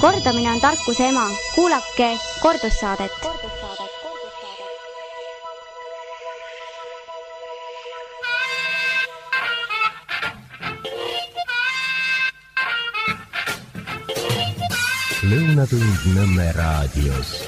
Kordamine on tarkuse ema. Kuulake kordussaadet. Lõunatund Nõmme raadios.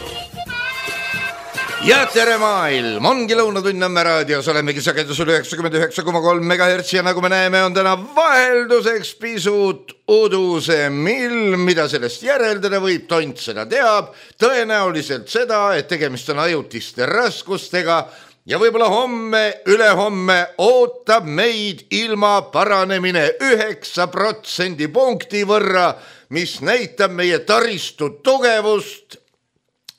Ja tere maailm, ongi Lõunatund Nõmme raadios, olemegi sagedusel 99,3 MHz ja nagu me näeme, on täna vahelduseks pisut udusem ilm, mida sellest järeldada võib, tont seda teab, tõenäoliselt seda, et tegemist on ajutiste raskustega ja võib-olla homme, ülehomme ootab meid ilma paranemine 9% punkti võrra, mis näitab meie taristu tugevust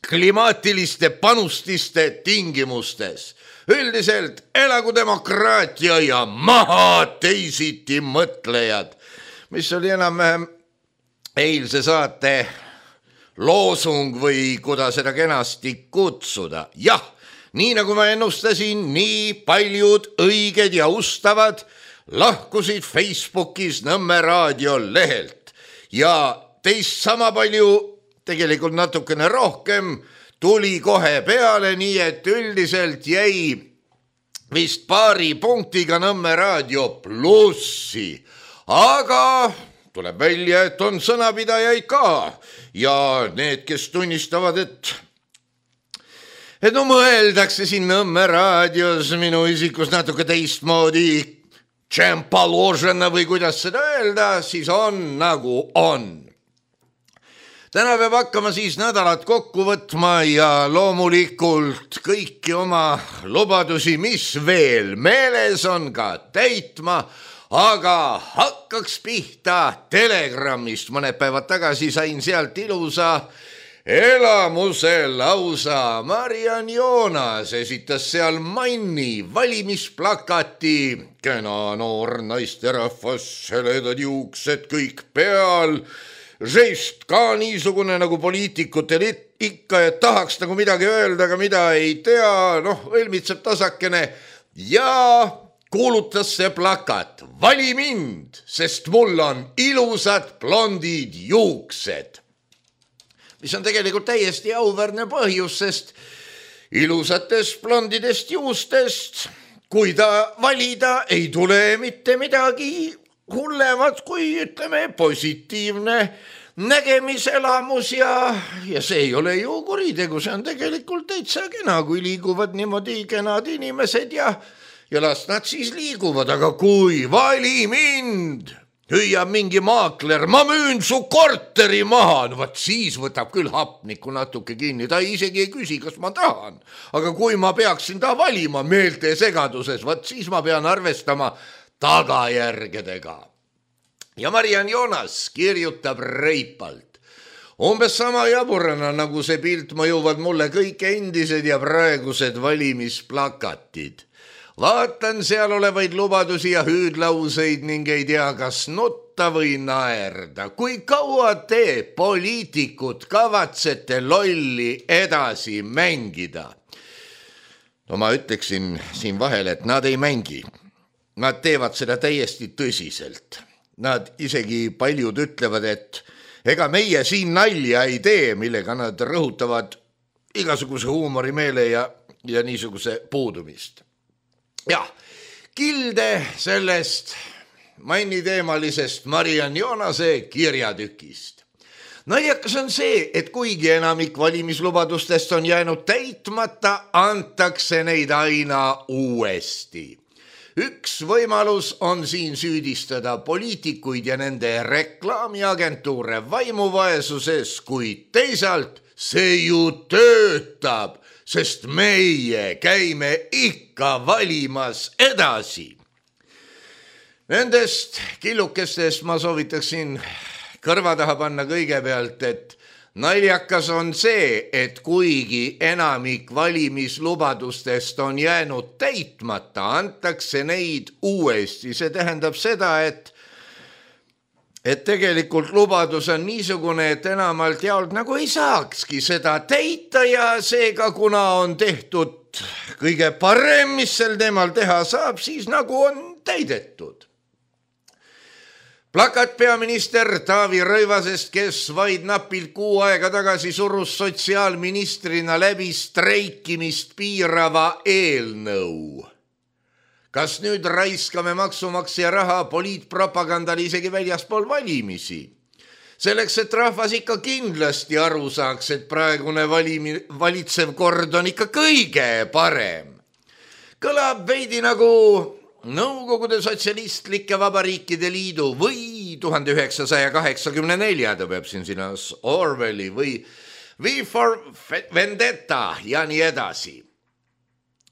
klimaatiliste panustiste tingimustes. Üldiselt elagu demokraatia ja maha teisiti mõtlejad, mis oli enam-vähem eilse saate loosung või kuidas seda kenasti kutsuda. Jah, nii nagu ma ennustasin, nii paljud õiged ja ustavad lahkusid Facebookis Nõmme raadio lehelt. Ja teist sama palju, tegelikult natukene rohkem, tuli kohe peale, nii et üldiselt jäi vist paari punktiga Nõmme raadio plussi. Aga tuleb välja, et on sõnapidajaid ka ja need, kes tunnistavad, et no mõeldakse siin Nõmme raadios minu isikus natuke teistmoodi, tšempaložena või kuidas seda öelda, siis on nagu on. Täna peab hakkama siis nädalat kokku võtma ja loomulikult kõiki oma lubadusi, mis veel meeles on, ka täitma, aga hakkaks pihta Telegramist. Mõned päevad tagasi sain sealt ilusa elamuse lausa. Mariann Joonas esitas seal Manni valimisplakati. Kena noor naisterahvas, heledad juuksed kõik peal. Žest ka niisugune nagu poliitikutel ikka, et tahaks nagu midagi öelda, aga mida ei tea, õlmitseb tasakene ja kuulutas see plakat: vali mind, sest mul on ilusad blondid juuksed. Mis on tegelikult täiesti auväärne põhjus, sest ilusatest blondidest juustest, kui ta valida, ei tule mitte midagi hullemat kui, ütleme, positiivne nägemiselamus ja see ei ole ju kuritegu, see on tegelikult täitsa kena, kui liiguvad niimoodi kenad inimesed ja las nad siis liiguvad, aga kui vali mind, hüüab mingi maakler, ma müün su korteri maha, no vaat siis võtab küll hapniku natuke kinni, ta isegi ei küsi, kas ma tahan, aga kui ma peaksin ta valima meelte segaduses, vaat siis ma pean arvestama tagajärgedega. Ja Mariann Joonas kirjutab reipalt. Umbes sama jaburana, nagu see pilt mõjuvad mulle kõik endised ja praegused valimisplakatid. Vaatan seal olevaid lubadusi ja hüüdlauseid ning ei tea, kas nutta või naerda. Kui kaua te, poliitikud, kavatsete lolli edasi mängida? No ma ütleksin siin vahel, et nad ei mängi. Nad teevad seda täiesti tõsiselt. Nad isegi paljud ütlevad, et ega meie siin nalja ei tee, millega nad rõhutavad igasuguse huumorimeele ja niisuguse puudumist. Jah, kilde sellest Manni-teemalisest Mariann Joonase kirjatükist. Naljakas on see, et kuigi enamik valimislubadustest on jäänud täitmata, antakse neid aina uuesti. Üks võimalus on siin süüdistada poliitikuid ja nende reklaamiagentuure vaimuvaesuses, kuid teisalt see ju töötab, sest meie käime ikka valimas edasi. Nendest killukestest ma soovitaksin kõrva taha panna kõigepealt, et naljakas on see, et kuigi enamik valimislubadustest on jäänud täitmata, antakse neid uuesti. See tähendab seda, et tegelikult lubadus on niisugune, et enamalt jaolt nagu ei saakski seda täita ja seega, kuna on tehtud kõige parem, mis sel teemal teha saab, siis nagu on täidetud. Plakat peaminister Taavi Rõivasest, kes vaid napilt kuu aega tagasi surus sotsiaalministrina läbi streikimist piirava eelnõu. Kas nüüd raiskame maksumaksja raha poliitpropagandal isegi väljaspool valimisi? Selleks, et rahvas ikka kindlasti aru saaks, et praegune valitsev kord on ikka kõige parem. Kõlab veidi nagu Nõukogude Sotsialistlike Vabariikide Liidu või 1984, ta peab siin sinas Orwelli või V for Vendetta ja nii edasi.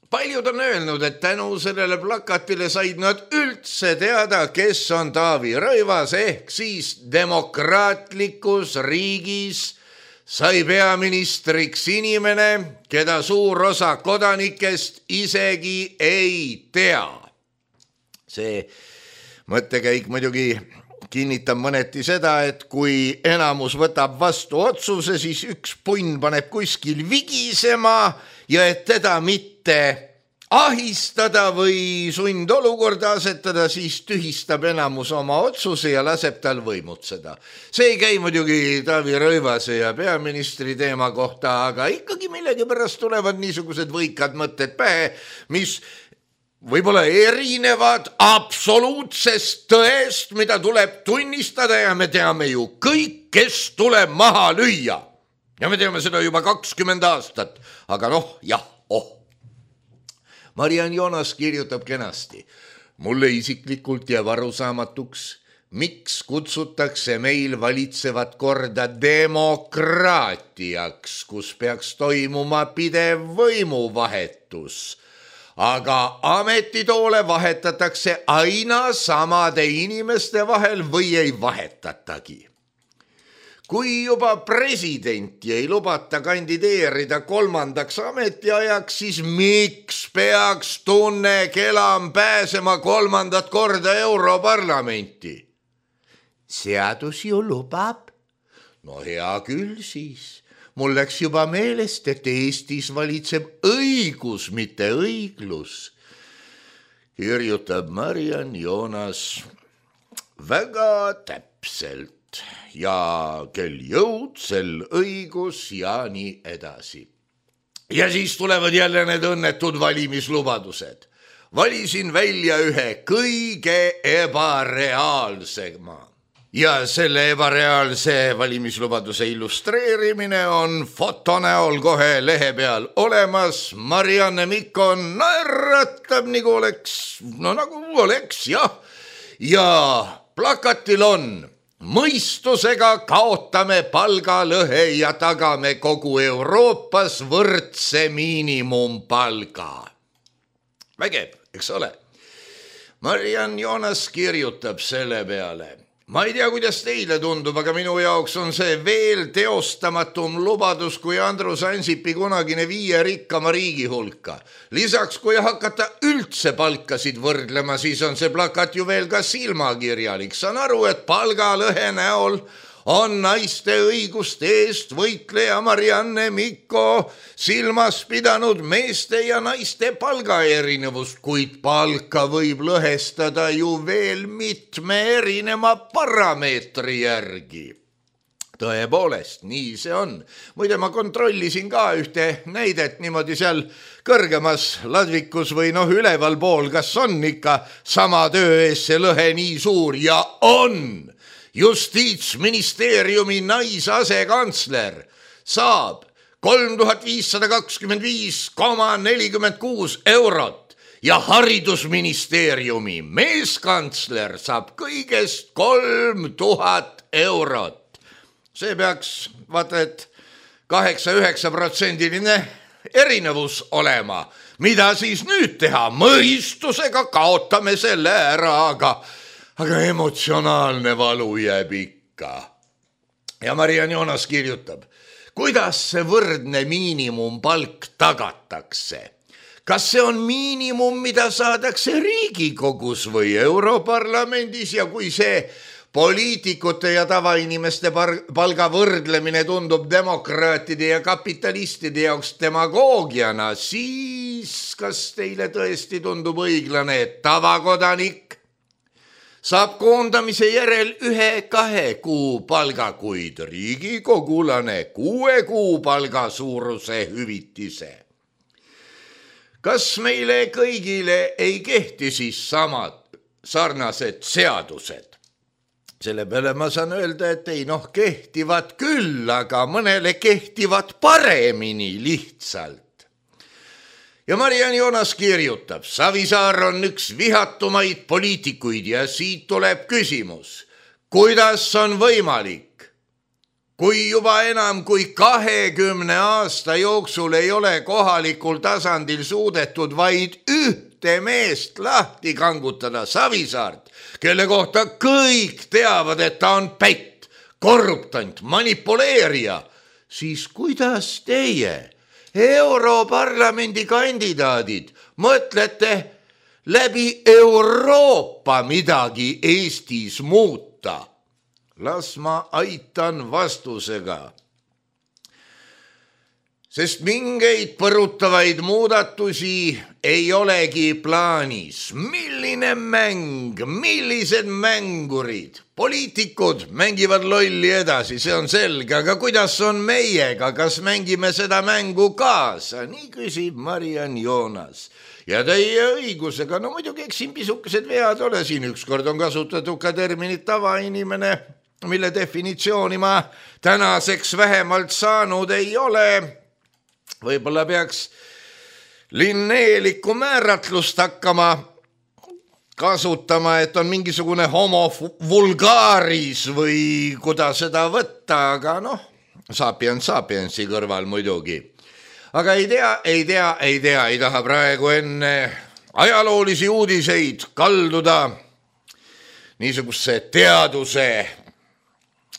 Paljud on öelnud, et tänu sellele plakatile said nad üldse teada, kes on Taavi Rõivas, ehk siis demokraatlikus riigis sai peaministriks inimene, keda suur osa kodanikest isegi ei tea. See mõttekäik muidugi kinnitab mõneti seda, et kui enamus võtab vastu otsuse, siis üks punn paneb kuskil vigisema ja et teda mitte ahistada või sundolukorda asetada, siis tühistab enamus oma otsuse ja laseb tal võimutseda. See ei käi muidugi Taavi Rõivase ja peaministri teema kohta, aga ikkagi millegipärast tulevad niisugused võikad mõtted pähe, mis võib-olla erinevad absoluutsest tõest, mida tuleb tunnistada ja me teame ju kõik, kes tuleb maha lüüa. Ja me teame seda juba 20 aastat, aga Mariann Joonas kirjutab kenasti. Mulle isiklikult jääb arusaamatuks, miks kutsutakse meil valitsevat korda demokraatiaks, kus peaks toimuma pidev võimuvahetus. Aga ametitoole vahetatakse aina samade inimeste vahel või ei vahetatagi. Kui juba presidenti ei lubata kandideerida 3. ametiajaks, siis miks peaks Tunne Kelam pääsema 3. korda Europarlamenti? Seadus ju lubab. No hea küll siis. Mul läks juba meelest, et Eestis valitseb õigus, mitte õiglus. Kirjutab Mariann Joonas väga täpselt ja kel jõud, sel õigus ja nii edasi. Ja siis tulevad jälle need õnnetud valimislubadused. Valisin välja ühe kõige ebareaalsema. Ja selle ebareaalse valimislubaduse illustreerimine on foto näol kohe lehe peal olemas. Marianne Mikko naeratab nagu oleks, jah. Ja plakatil on: mõistusega kaotame palgalõhe ja tagame kogu Euroopas võrdse miinimumpalga. Vägev, eks ole? Mariann Joonas kirjutab selle peale: ma ei tea, kuidas teile tundub, aga minu jaoks on see veel teostamatum lubadus kui Andrus Ansipi kunagine 5 rikkama riigi hulka. Lisaks, kui hakata üldse palkasid võrdlema, siis on see plakat ju veel ka silmakirjalik. Saan aru, et palgalõhe näol on naiste õiguste eest võitleja Marianne Mikko silmas pidanud meeste ja naiste palgaerinevust, kuid palka võib lõhestada ju veel mitme erineva parameetri järgi. Tõepoolest, nii see on. Muide, ma kontrollisin ka ühte näidet niimoodi seal kõrgemas ladvikus või üleval pool, kas on ikka sama töö ees see lõhe nii suur, ja on. Justiitsministeeriumi naisasekantsler saab 3525,46 eurot ja haridusministeeriumi meeskantsler saab kõigest 3000 eurot. See peaks, vaata, et 8-9% erinevus olema. Mida siis nüüd teha? Mõistusega kaotame selle ära, aga emotsionaalne valu jääb ikka. Ja Mariann Joonas kirjutab: kuidas see võrdne miinimumpalk tagatakse? Kas see on miinimum, mida saadakse Riigikogus või Europarlamendis, ja kui see poliitikute ja tavainimeste palga võrdlemine tundub demokraatide ja kapitalistide jaoks demagoogiana, siis kas teile tõesti tundub õiglane, et tavakodanik saab koondamise järel 1-2 kuu palga, kuid riigikogulane 6 kuu palga suuruse hüvitise. Kas meile kõigile ei kehti siis samad sarnased seadused? Selle peale ma saan öelda, et ei kehtivad küll, aga mõnele kehtivad paremini lihtsalt. Ja Mariann Joonas kirjutab, Savisaar on üks vihatumaid poliitikuid ja siit tuleb küsimus, kuidas on võimalik, kui juba enam kui 20 aasta jooksul ei ole kohalikul tasandil suudetud vaid ühte meest lahti kangutada, Savisaart, kelle kohta kõik teavad, et ta on pätt, korruptant, manipuleerija, siis kuidas teie, Europarlamendi kandidaadid, mõtlete läbi Euroopa midagi Eestis muuta? Las ma aitan vastusega. Sest mingeid põrutavaid muudatusi ei olegi plaanis. Milline mäng, millised mängurid, poliitikud mängivad lolli edasi, see on selge, aga kuidas on meiega, kas mängime seda mängu kaasa? Nii küsib Mariann Joonas. Ja teie õigusega, muidugi eks siin pisukesed vead ole, siin ükskord on kasutatud ka terminit tavainimene, mille definitsiooni ma tänaseks vähemalt saanud ei ole. Võib-olla peaks linneeliku määratlust hakkama kasutama, et on mingisugune homo vulgaaris või kuidas seda võtta, aga sapiensi kõrval muidugi. Aga ei taha praegu enne ajaloolisi uudiseid kalduda niisuguse teaduse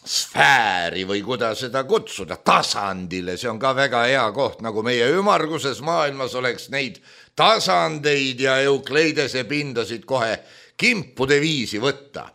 sfääri või kuidas seda kutsuda, tasandile, see on ka väga hea koht, nagu meie ümmarguses maailmas oleks neid tasandeid ja Eukleidese pindasid kohe kimpude viisi võtta.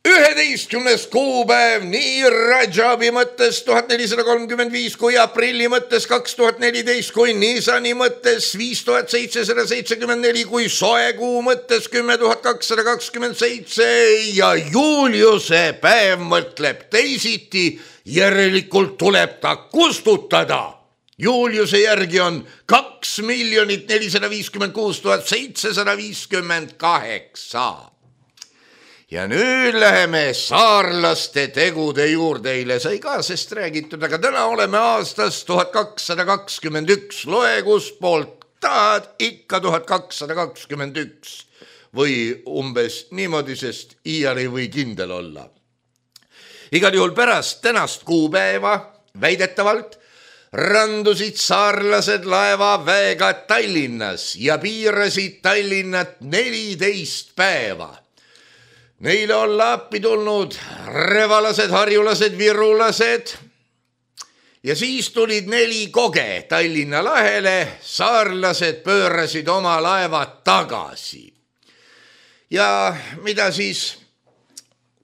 11. kuupäev nii Rajabi mõttes 1435 kui aprilli mõttes 2014 kui Nisani mõttes 5774 kui soekuu mõttes 10227 ja Juliuse päev mõtleb teisiti, järelikult tuleb ta kustutada. Juliuse järgi on 2 456 758. Ja nüüd läheme saarlaste tegude juurde, eile sai ka sest räägitud, aga täna oleme aastas 1221, loe kust poolt tahad, ikka 1221 või umbes niimoodi, sest iial ei või kindel olla. Igal juhul pärast tänast kuupäeva väidetavalt randusid saarlased laevaväega Tallinnas ja piirasid Tallinnat 14 päeva. Neile on appi tulnud revalased, harjulased, virulased ja siis tulid 4 koge Tallinna lahele, saarlased pöörasid oma laevad tagasi. Ja mida siis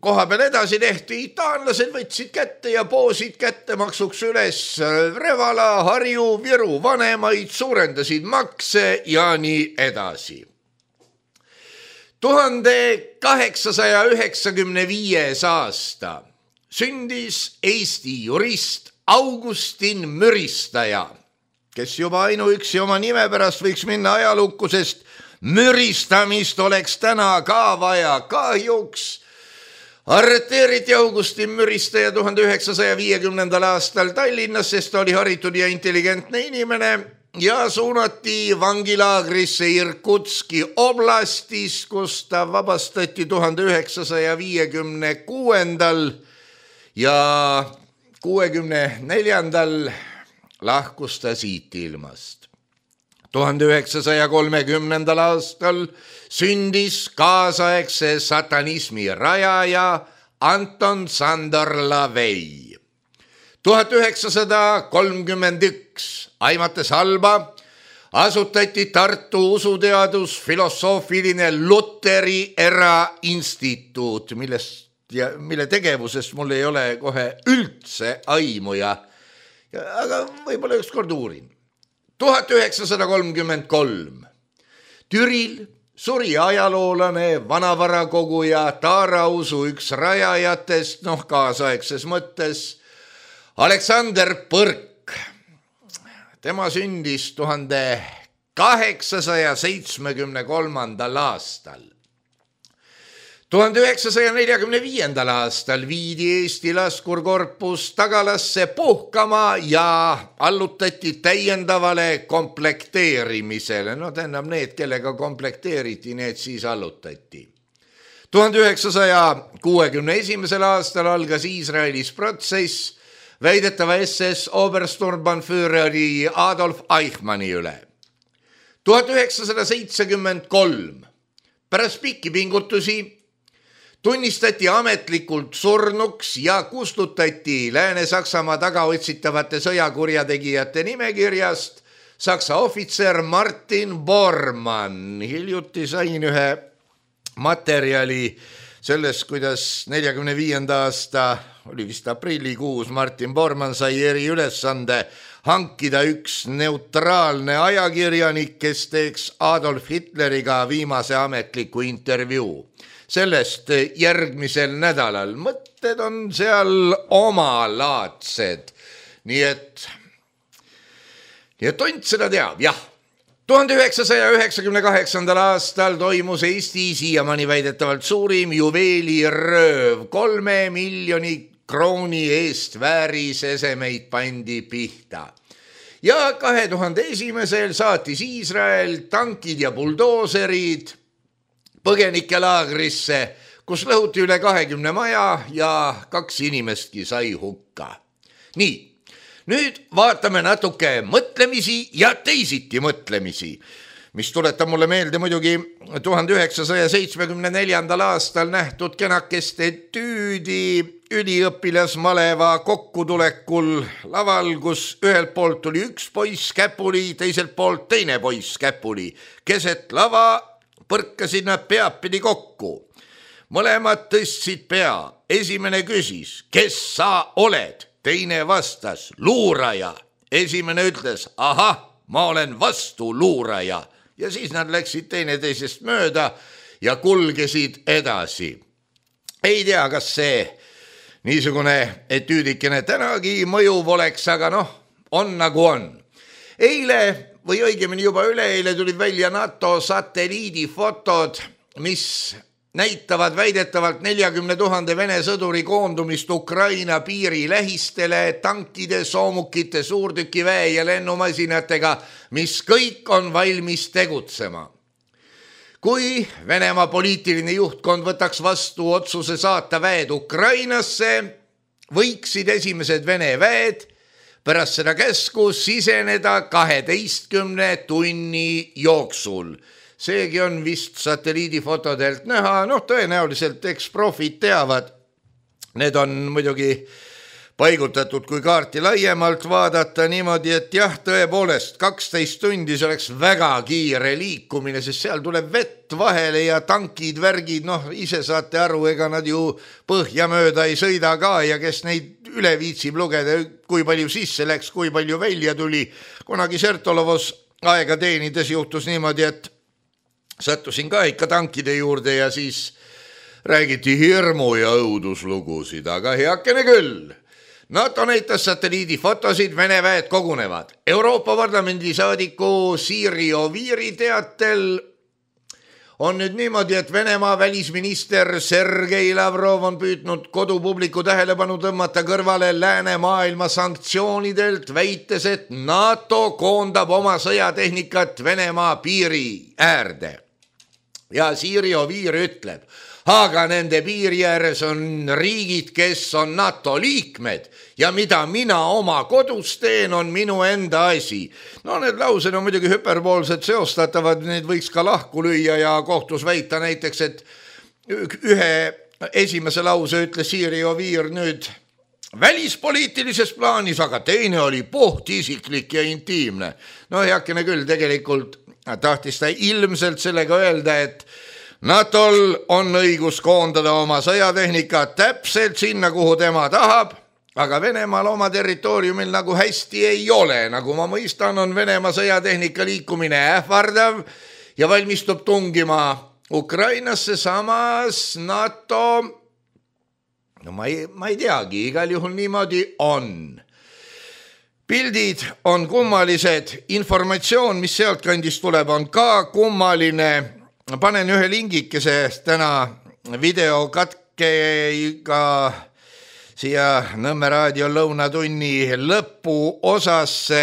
koha peal edasi tehti, taanlased võtsid kätte ja poosid kättemaksuks üles Revala, Harju, Viru vanemaid, suurendasid makse ja nii edasi. 1895. aasta sündis Eesti jurist Augustin Müristaja, kes juba ainuüksi oma nime pärast võiks minna ajalukku, sest müristamist oleks täna ka vaja. Kahjuks arreteeriti Augustin Müristaja 1950. aastal Tallinnas, sest ta oli haritud ja intelligentne inimene ja suunati vangilaagrisse Irkutski oblastis, kus ta vabastati 1956. ja 64. lahkus ta siit ilmast. 1930. aastal sündis kaasaegse satanismi rajaja Anton Sandor Lavey. 1931 aimates halba asutati Tartu usuteadus-filosoofiline Luteri erainstituut, mille tegevusest mul ei ole kohe üldse aimu, aga võib-olla ükskord uurin. 1933 Türil suri ajaloolane, vanavarakoguja, taarausu üks rajajatest, kaasaegses mõttes, Aleksander Põrk. Tema sündis 1873. aastal. 1945. aastal viidi Eesti laskurkorpus Tagalasse puhkama ja allutati täiendavale komplekteerimisele. Tähendab need, kellega komplekteeriti, need siis allutati. 1961. aastal algas Iisraelis protsess väidetava SS Obersturmbannführeri Adolf Eichmanni üle. 1973 pärast pikki pingutusi tunnistati ametlikult surnuks ja kustutati Lääne-Saksamaa tagaotsitavate sõjakurjategijate nimekirjast Saksa ohvitser Martin Bormann. Hiljuti sain ühe materjali sellest, kuidas 45. aasta, oli vist aprillikuus, Martin Bormann sai eriülesande hankida üks neutraalne ajakirjanik, kes teeks Adolf Hitleriga viimase ametliku intervjuu. Sellest järgmisel nädalal. Mõtted on seal omalaadsed. Nii et tont seda teab, jah. 1998. aastal toimus Eesti siiamaani väidetavalt suurim juveelirööv. 3 miljoni krooni eest väärisesemeid pandi pihta. Ja 2001. saatis Iisrael tankid ja buldooserid põgenikelaagrisse, kus lõhuti üle 20 maja ja 2 inimestki sai hukka. Nii, nüüd vaatame natuke mõtlemisi ja teisiti mõtlemisi, mis tuletab mulle meelde muidugi 1974. aastal nähtud kenakest etüüdi üliõpilasmaleva kokkutulekul laval, kus ühelt poolt tuli üks poiss käpuli, teiselt poolt teine poiss käpuli. Keset lava põrkasid nad peapidi kokku. Mõlemad tõstsid pea. Esimene küsis, kes sa oled? Teine vastas, luuraja. Esimene ütles, ahah, ma olen vastu luuraja. Ja siis nad läksid teineteisest mööda ja kulgesid edasi. Ei tea, kas see niisugune etüüdikene tänagi mõjuv oleks, aga on nagu on. Eile või õigemini juba üleeile tulid välja NATO satelliidifotod, mis näitavad väidetavalt 40 000 Vene sõduri koondumist Ukraina piiri lähistele tankide, soomukite, suurtükiväe ja lennumasinatega, mis kõik on valmis tegutsema. Kui Venemaa poliitiline juhtkond võtaks vastu otsuse saata väed Ukrainasse, võiksid esimesed Vene väed pärast seda käsku siseneda 12 tunni jooksul. Seegi on vist satelliidifotodelt näha, tõenäoliselt eksprofid teavad. Need on muidugi paigutatud, kui kaarti laiemalt vaadata niimoodi, et jah, tõepoolest 12 tundi see oleks väga kiire liikumine, sest seal tuleb vett vahele ja tankid, värgid, ise saate aru, ega nad ju põhja mööda ei sõida ka ja kes neid üle viitsib lugeda, kui palju sisse läks, kui palju välja tuli. Kunagi Sertolovos aega teenides juhtus niimoodi, et sattusin ka ikka tankide juurde ja siis räägiti hirmu ja õuduslugusid, aga heakene küll. NATO näitas satelliidifotosid, Vene väed kogunevad. Euroopa Parlamendi saadiku Siiri Oviiri teatel on nüüd niimoodi, et Venemaa välisminister Sergei Lavrov on püüdnud kodupubliku tähelepanu tõmmata kõrvale läänemaailma sanktsioonidelt, väites, et NATO koondab oma sõjatehnikat Venemaa piiri äärde. Ja Siiri Oviir ütleb, aga nende piiri ääres on riigid, kes on NATO liikmed ja mida mina oma kodus teen, on minu enda asi. Need laused on muidugi hüperboolsed seostatavad, need võiks ka lahku lüüa ja kohtus väita näiteks, et ühe esimese lause ütles Siiri Oviir nüüd välispoliitilises plaanis, aga teine oli puhtisiklik ja intiimne. Heakene küll, tegelikult tahtis ta ilmselt sellega öelda, et NATOl on õigus koondada oma sõjatehnika täpselt sinna, kuhu tema tahab, aga Venemaal oma territooriumil nagu hästi ei ole. Nagu ma mõistan, on Venemaa sõjatehnika liikumine ähvardav ja valmistub tungima Ukrainasse, samas NATO, no ma ei teagi, igal juhul niimoodi on. Pildid on kummalised, informatsioon, mis sealt kandist tuleb, on ka kummaline. Panen ühe lingikese täna videokatkega siia Nõmme raadio lõunatunni lõpu osasse.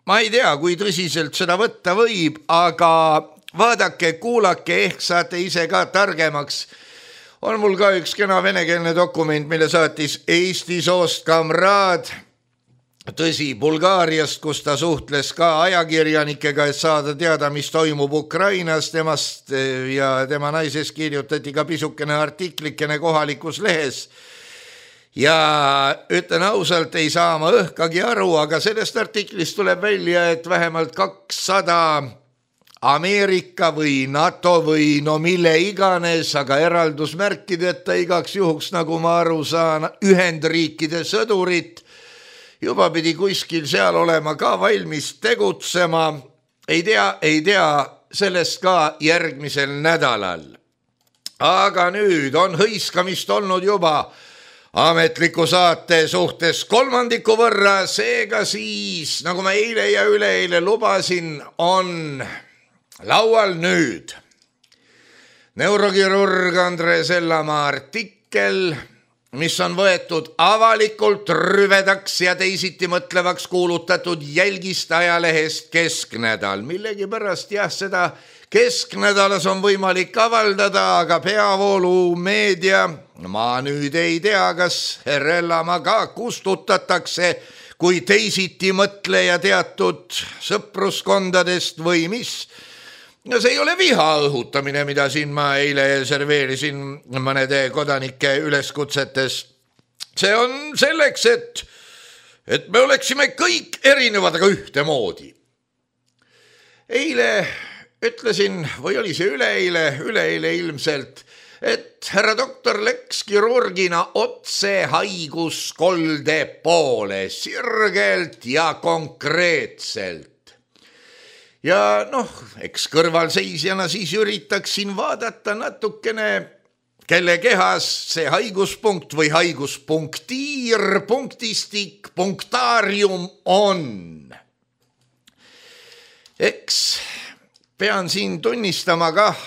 Ma ei tea, kui tõsiselt seda võtta võib, aga vaadake, kuulake, ehk saate ise ka targemaks. On mul ka üks kena venekeelne dokument, mille saatis Eesti soost kamraad. Tõsi, Bulgaariast, kus ta suhtles ka ajakirjanikega, et saada teada, mis toimub Ukrainas. Temast ja tema naises kirjutati ka pisukene artiklikene kohalikus lehes. Ja ütlen ausalt, ei saa ma õhkagi aru, aga sellest artiklist tuleb välja, et vähemalt 200 Ameerika või NATO või no mille iganes, aga eraldusmärkideta igaks juhuks, nagu ma aru saan, Ühendriikide sõdurit juba pidi kuskil seal olema ka valmis tegutsema. Ei tea sellest ka järgmisel nädalal. Aga nüüd on hõiskamist olnud juba ametliku saate suhtes 3% võrra, seega siis, nagu ma eile ja üleeile lubasin, on laual nüüd neurokirurg Andre Sellamaa artikkel, mis on võetud avalikult rüvedaks ja teisiti mõtlevaks kuulutatud jälgist ajalehest Kesknädal. Millegipärast seda Kesknädalas on võimalik avaldada, aga peavoolu meedia, ma nüüd ei tea, kas Sellamaa ka kustutatakse kui teisiti mõtleja teatud sõpruskondadest või mis. No see ei ole viha õhutamine, mida siin ma eile serveerisin mõnede kodanike üleskutsetes. See on selleks, et me oleksime kõik erinevad, aga ühtemoodi. Eile ütlesin, või oli see üleeile ilmselt, et härra doktor läks kirurgina otse haiguskolde poole, sirgelt ja konkreetselt. Ja eks kõrvalseisjana siis üritaksin vaadata natukene, kelle kehas see haiguspunkt või haiguspunktiir, punktistik, punktaarium on. Eks pean siin tunnistama kah,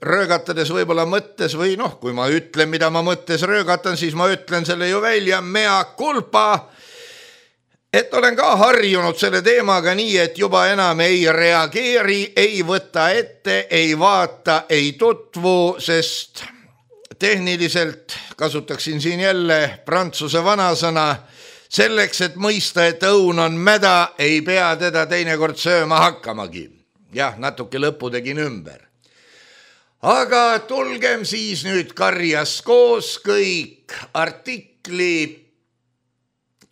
röögatades võib-olla mõttes või kui ma ütlen, mida ma mõttes röögatan, siis ma ütlen selle ju välja, mea culpa, et olen ka harjunud selle teemaga nii, et juba enam ei reageeri, ei võta ette, ei vaata, ei tutvu, sest tehniliselt kasutaksin siin jälle prantsuse vanasõna, selleks, et mõista, et õun on mäda, ei pea teda teinekord sööma hakkamagi. Jah, natuke lõpu tegin ümber. Aga tulgem siis nüüd karjas koos kõik artikli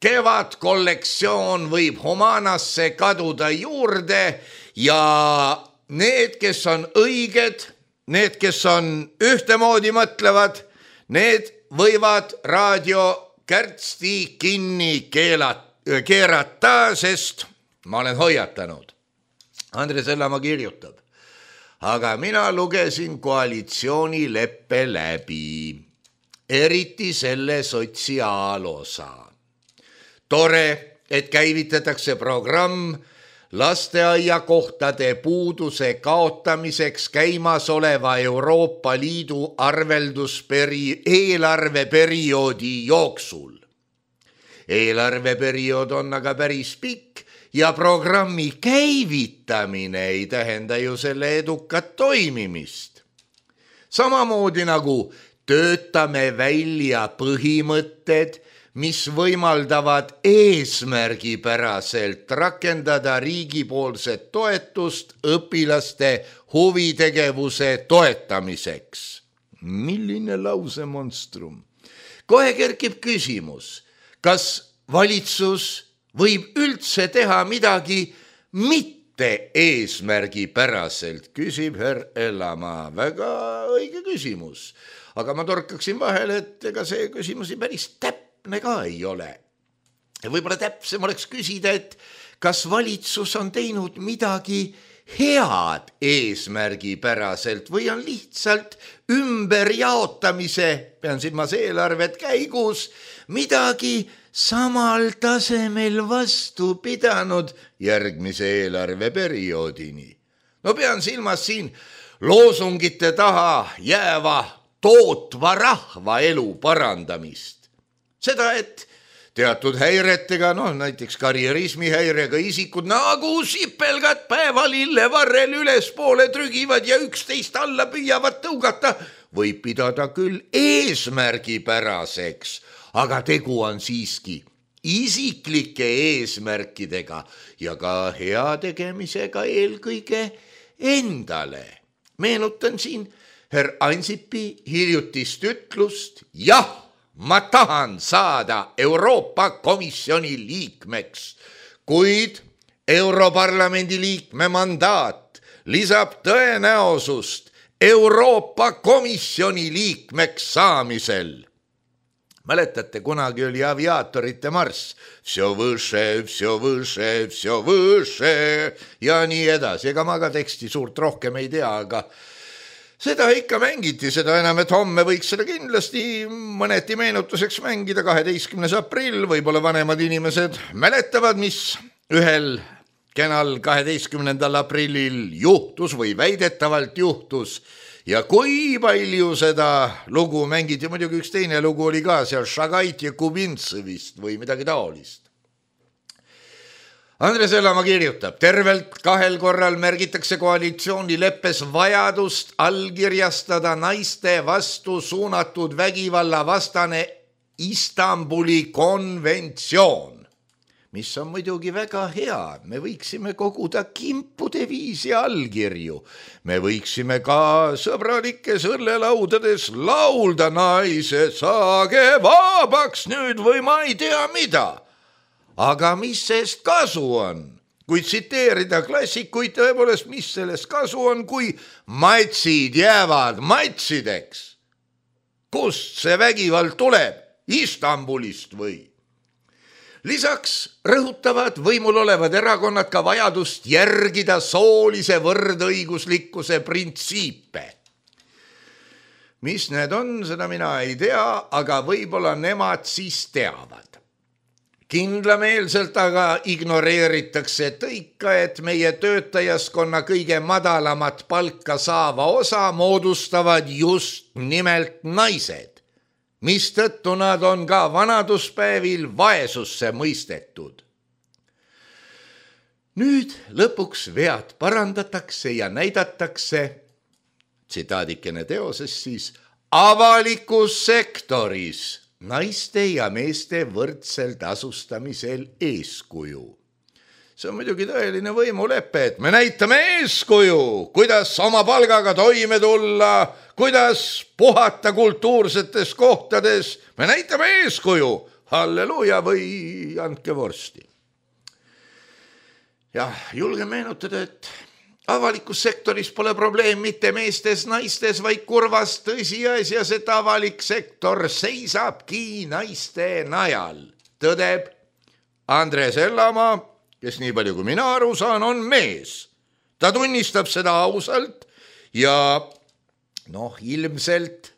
Kevadkollektsioon võib Humanasse kaduda juurde ja need, kes on õiged, need, kes on ühtemoodi mõtlevad, need võivad raadio kärtsti kinni keerata, sest ma olen hoiatanud. Andre Sellamaa kirjutab, aga mina lugesin koalitsioonileppe läbi, eriti selle sotsiaalosa. Tore, et käivitatakse programm lasteaiakohtade puuduse kaotamiseks käimasoleva Euroopa Liidu eelarveperioodi jooksul. Eelarveperiood on aga päris pikk ja programmi käivitamine ei tähenda ju selle edukat toimimist. Samamoodi nagu töötame välja põhimõtted, mis võimaldavad eesmärgipäraselt rakendada riigipoolset toetust õpilaste huvitegevuse toetamiseks. Milline lausemonstrum? Kohe kerkib küsimus, kas valitsus võib üldse teha midagi mitte eesmärgipäraselt, küsib herr Sellamaa. Väga õige küsimus. Aga ma torkaksin vahele, et ega see küsimusi päris täpne ka ei ole. Võib-olla täpsem oleks küsida, et kas valitsus on teinud midagi head eesmärgipäraselt või on lihtsalt ümberjaotamise, pean silmas eelarvet käigus, midagi samal tasemel vastu pidanud järgmise eelarveperioodini. No pean silmas siin loosungite taha jääva tootva rahva elu parandamist. Seda, et teatud häiretega, näiteks karjerismihäirega isikud nagu sipelgad päeval illevarrel ülespoole trügivad ja üksteist alla püüavad tõugata, võib pidada küll eesmärgipäraseks, aga tegu on siiski isiklike eesmärkidega ja ka heategemisega eelkõige endale. Meenutan siin herr Ansipi hiljutist ütlust, jah, ma tahan saada Euroopa Komisjoni liikmeks, kuid Europarlamendi liikme mandaat lisab tõenäosust Euroopa Komisjoni liikmeks saamisel. Mäletate, kunagi oli aviaatorite marss, vsjo võše ja nii edasi. Ega ma ka teksti suurt rohkem ei tea, aga seda ikka mängiti, seda enam, et homme võiks seda kindlasti mõneti meenutuseks mängida. 12. aprill, võib-olla vanemad inimesed mäletavad, mis ühel kenal 12. aprillil juhtus või väidetavalt juhtus. Ja kui palju seda lugu mängiti, muidugi üks teine lugu oli ka seal Šagait ja Kubintsevist või midagi taolist. Andres Elamaa kirjutab, tervelt 2 korral märgitakse koalitsioonileppes vajadust allkirjastada naiste vastu suunatud vägivalla vastane Istanbuli konventsioon, mis on muidugi väga hea. Me võiksime koguda kimpude viisi allkirju. Me võiksime ka sõbralikes õllelaudades laulda, naised, saage vabaks nüüd või ma ei tea mida. Aga mis sellest kasu on? Kui tsiteerida klassikuid, tõepoolest, mis sellest kasu on, kui matsid jäävad matsideks? Kust see vägivald tuleb? Istanbulist või? Lisaks rõhutavad võimul olevad erakonnad ka vajadust järgida soolise võrdõiguslikkuse printsiipe. Mis need on, seda mina ei tea, aga võib-olla nemad siis teavad. Kindlameelselt aga ignoreeritakse tõika, et meie töötajaskonna kõige madalamat palka saava osa moodustavad just nimelt naised, mistõttu nad on ka vanaduspäevil vaesusse mõistetud. Nüüd lõpuks vead parandatakse ja näidatakse, tsitaadikene teoses siis, avalikus sektoris naiste ja meeste võrdsel tasustamisel eeskuju. See on muidugi tõeline võimulepe, et me näitame eeskuju, kuidas oma palgaga toime tulla, kuidas puhata kultuursetes kohtades. Me näitame eeskuju, halleluja või andke vorsti. Ja julgen meenutada, et avalikus sektoris pole probleem mitte meestes, naistes, vaid kurvas tõsiasjas, et avalik sektor seisabki naiste najal. Tõdeb Andres Elamaa, kes nii palju kui mina aru saan, on mees. Ta tunnistab seda ausalt ja ilmselt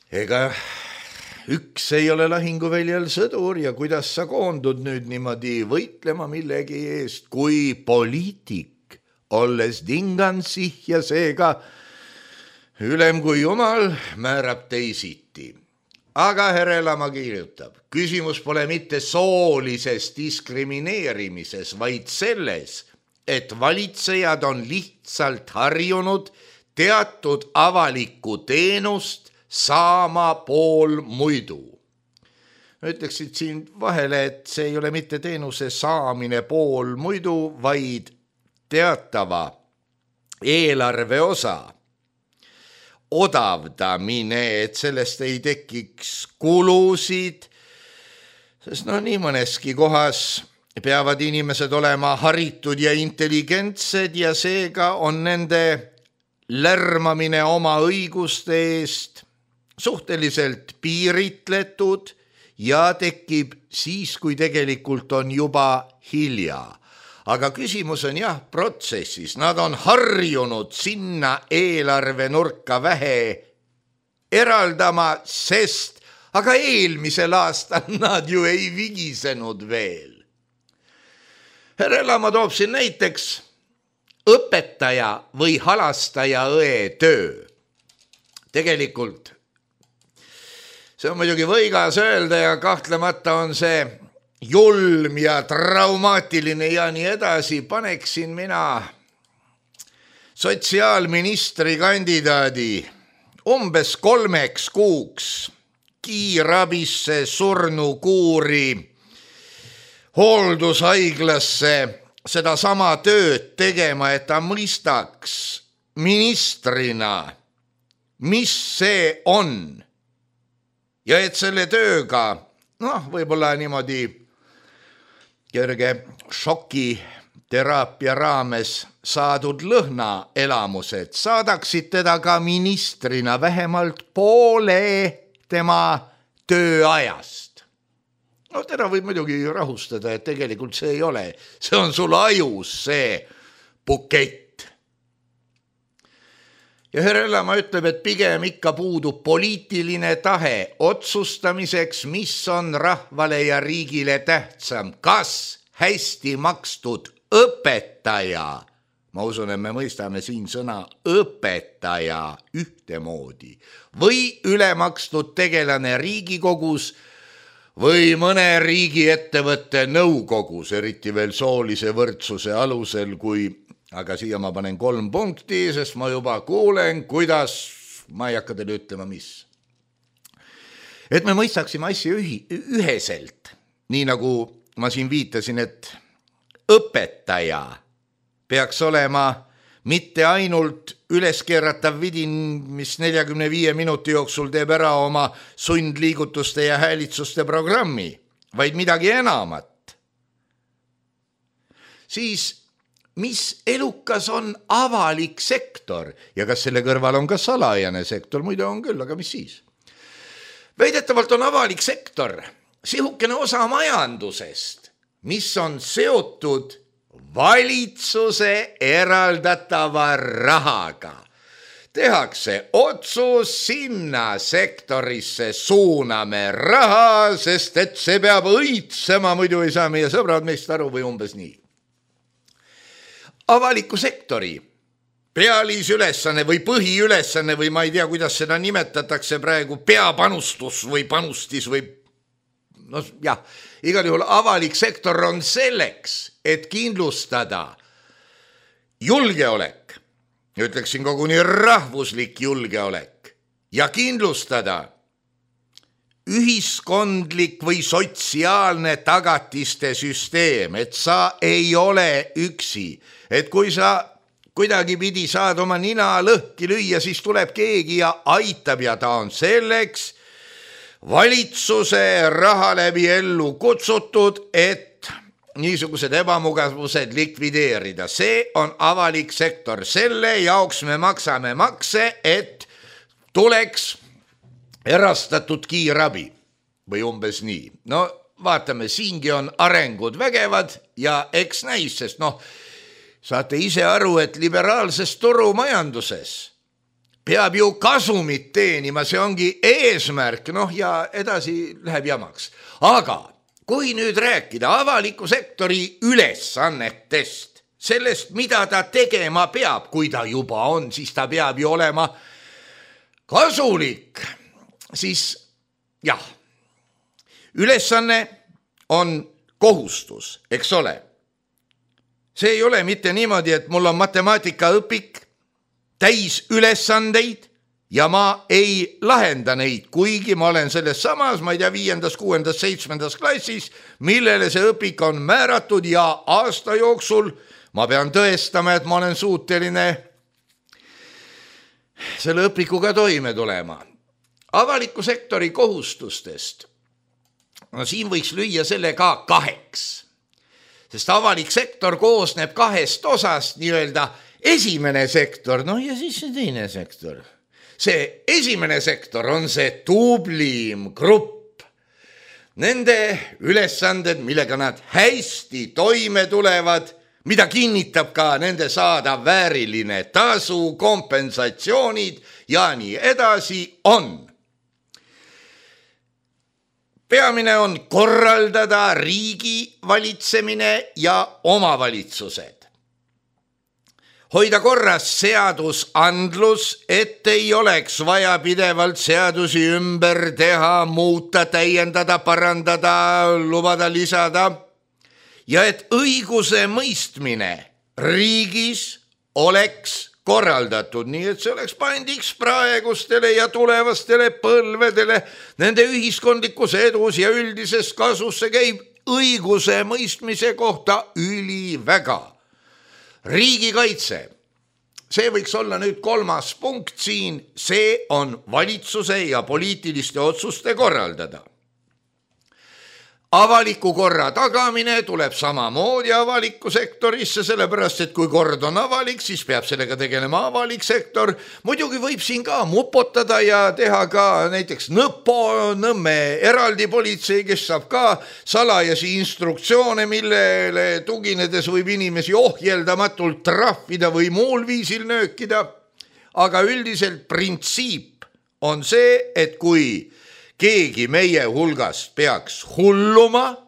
ega üks ei ole lahinguväljal sõdur ja kuidas sa koondud nüüd niimoodi võitlema millegi eest, kui poliitik, olles dingansih ja seega ülem kui jumal määrab teisiti. Aga herr Elamaa kirjutab, küsimus pole mitte soolises diskrimineerimises, vaid selles, et valitsejad on lihtsalt harjunud teatud avalikku teenust saama pool muidu. Ütleksid siin vahele, et see ei ole mitte teenuse saamine pool muidu, vaid teatava eelarve osa odavdamine, et sellest ei tekiks kulusid, sest nii mõneski kohas peavad inimesed olema haritud ja intelligentsed ja seega on nende lärmamine oma õiguste eest suhteliselt piiritletud ja tekib siis, kui tegelikult on juba hilja. aga küsimus on jah protsessis. Nad on harjunud sinna eelarvenurka vähe eraldama, sest aga eelmisel aastal nad ju ei vigisenud veel. Härra Elama toob siin näiteks õpetaja või halastaja õe töö. Tegelikult see on muidugi võigas öelda ja kahtlemata on see julm ja traumaatiline ja nii edasi. Paneksin mina sotsiaalministri kandidaadi umbes 3 kuuks kiirabisse, surnukuuri, hooldushaiglasse seda sama tööd tegema, et ta mõistaks ministrina, mis see on. Ja et selle tööga, võib-olla niimoodi kerge šoki teraapia raames saadud lõhnaelamused saadaksid teda ka ministrina vähemalt poole tema tööajast. Teda võib muidugi rahustada, et tegelikult see ei ole. See on sul ajus see bukett. Ja härra Elama ütleb, et pigem ikka puudub poliitiline tahe otsustamiseks, mis on rahvale ja riigile tähtsam. Kas hästi makstud õpetaja, ma usun, et me mõistame siin sõna õpetaja ühtemoodi, või ülemakstud tegelane Riigikogus või mõne riigiettevõtte nõukogus, eriti veel soolise võrdsuse alusel, aga siia ma panen 3 punkti, sest ma juba kuulen, kuidas, ma ei hakka teile ütlema, mis. Et me mõistaksime asja üheselt, nii nagu ma siin viitasin, et õpetaja peaks olema mitte ainult üleskeeratav vidin, mis 45 minuti jooksul teeb ära oma sundliigutuste ja häälitsuste programmi, vaid midagi enamat. Siis mis elukas on avalik sektor ja kas selle kõrval on ka salajane sektor, muide on küll, aga mis siis? Väidetavalt on avalik sektor sihukene osa majandusest, mis on seotud valitsuse eraldatava rahaga. Tehakse otsus, sinna sektorisse suuname raha, sest et see peab õitsema, muidu ei saa meie sõbrad meist aru või umbes nii. Avaliku sektori pealisülesanne või põhiülesanne või ma ei tea, kuidas seda nimetatakse praegu, peapanustus või panustis või igal juhul avalik sektor on selleks, et kindlustada julgeolek, ütleksin koguni rahvuslik julgeolek ja kindlustada ühiskondlik või sotsiaalne tagatiste süsteem, et sa ei ole üksi, et kui sa kuidagi pidi saad oma nina lõhki lüüa, siis tuleb keegi ja aitab ja ta on selleks valitsuse raha läbi ellu kutsutud, et niisugused ebamugavused likvideerida. See on avalik sektor, selle jaoks me maksame makse, et tuleks erastatud kiirabi või umbes nii. Vaatame, siingi on arengud vägevad ja eks näis, sest saate ise aru, et liberaalses turumajanduses peab ju kasumit teenima, see ongi eesmärk, ja edasi läheb jamaks. Aga kui nüüd rääkida avaliku sektori ülesannetest, sellest, mida ta tegema peab, kui ta juba on, siis ta peab ju olema kasulik. Siis jah, ülesanne on kohustus, eks ole. See ei ole mitte niimoodi, et mul on matemaatikaõpik täis ülesandeid ja ma ei lahenda neid, kuigi ma olen selles samas, ma ei tea, 5., 6., 7. klassis, millele see õpik on määratud ja aasta jooksul ma pean tõestama, et ma olen suuteline selle õpikuga toime tulema. Avaliku sektori kohustustest, siin võiks lüüa selle ka 2, sest avalik sektor koosneb 2 osast, nii-öelda esimene sektor, ja siis see teine sektor. See esimene sektor on see tublim grupp. Nende ülesanded, millega nad hästi toime tulevad, mida kinnitab ka nende saadav vääriline tasu, kompensatsioonid ja nii edasi on. Peamine on korraldada riigi valitsemine ja omavalitsused. Hoida korras seadusandlus, et ei oleks vaja pidevalt seadusi ümber teha, muuta, täiendada, parandada, lubada, lisada. Ja et õiguse mõistmine riigis oleks korraldatud, nii et see oleks pandiks praegustele ja tulevastele põlvedele, nende ühiskondlikus edus ja üldises kasus. See käib õiguse mõistmise kohta üliväga. Riigikaitse, see võiks olla nüüd 3. punkt siin, see on valitsuse ja poliitiliste otsuste korraldada. Avaliku korra tagamine tuleb samamoodi avalikku sektorisse, sellepärast, et kui kord on avalik, siis peab sellega tegelema avalik sektor. Muidugi võib siin ka mupotada ja teha ka näiteks Nõmme eraldi politsei, kes saab ka salajasi instruktsioone, millele tuginedes võib inimesi ohjeldamatult trahvida või muul viisil nöökida. Aga üldiselt printsiip on see, et kui keegi meie hulgast peaks hulluma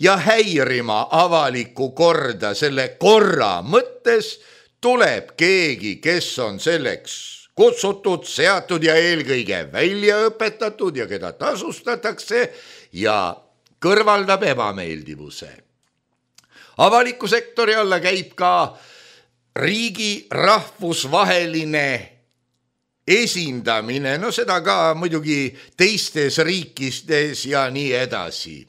ja häirima avalikku korda selle korra mõttes, tuleb keegi, kes on selleks kutsutud, seatud ja eelkõige välja õpetatud ja keda tasustatakse ja kõrvaldab ebameeldivuse. Avaliku sektori alla käib ka riigi rahvusvaheline esindamine, no seda ka muidugi teistes riikistes ja nii edasi.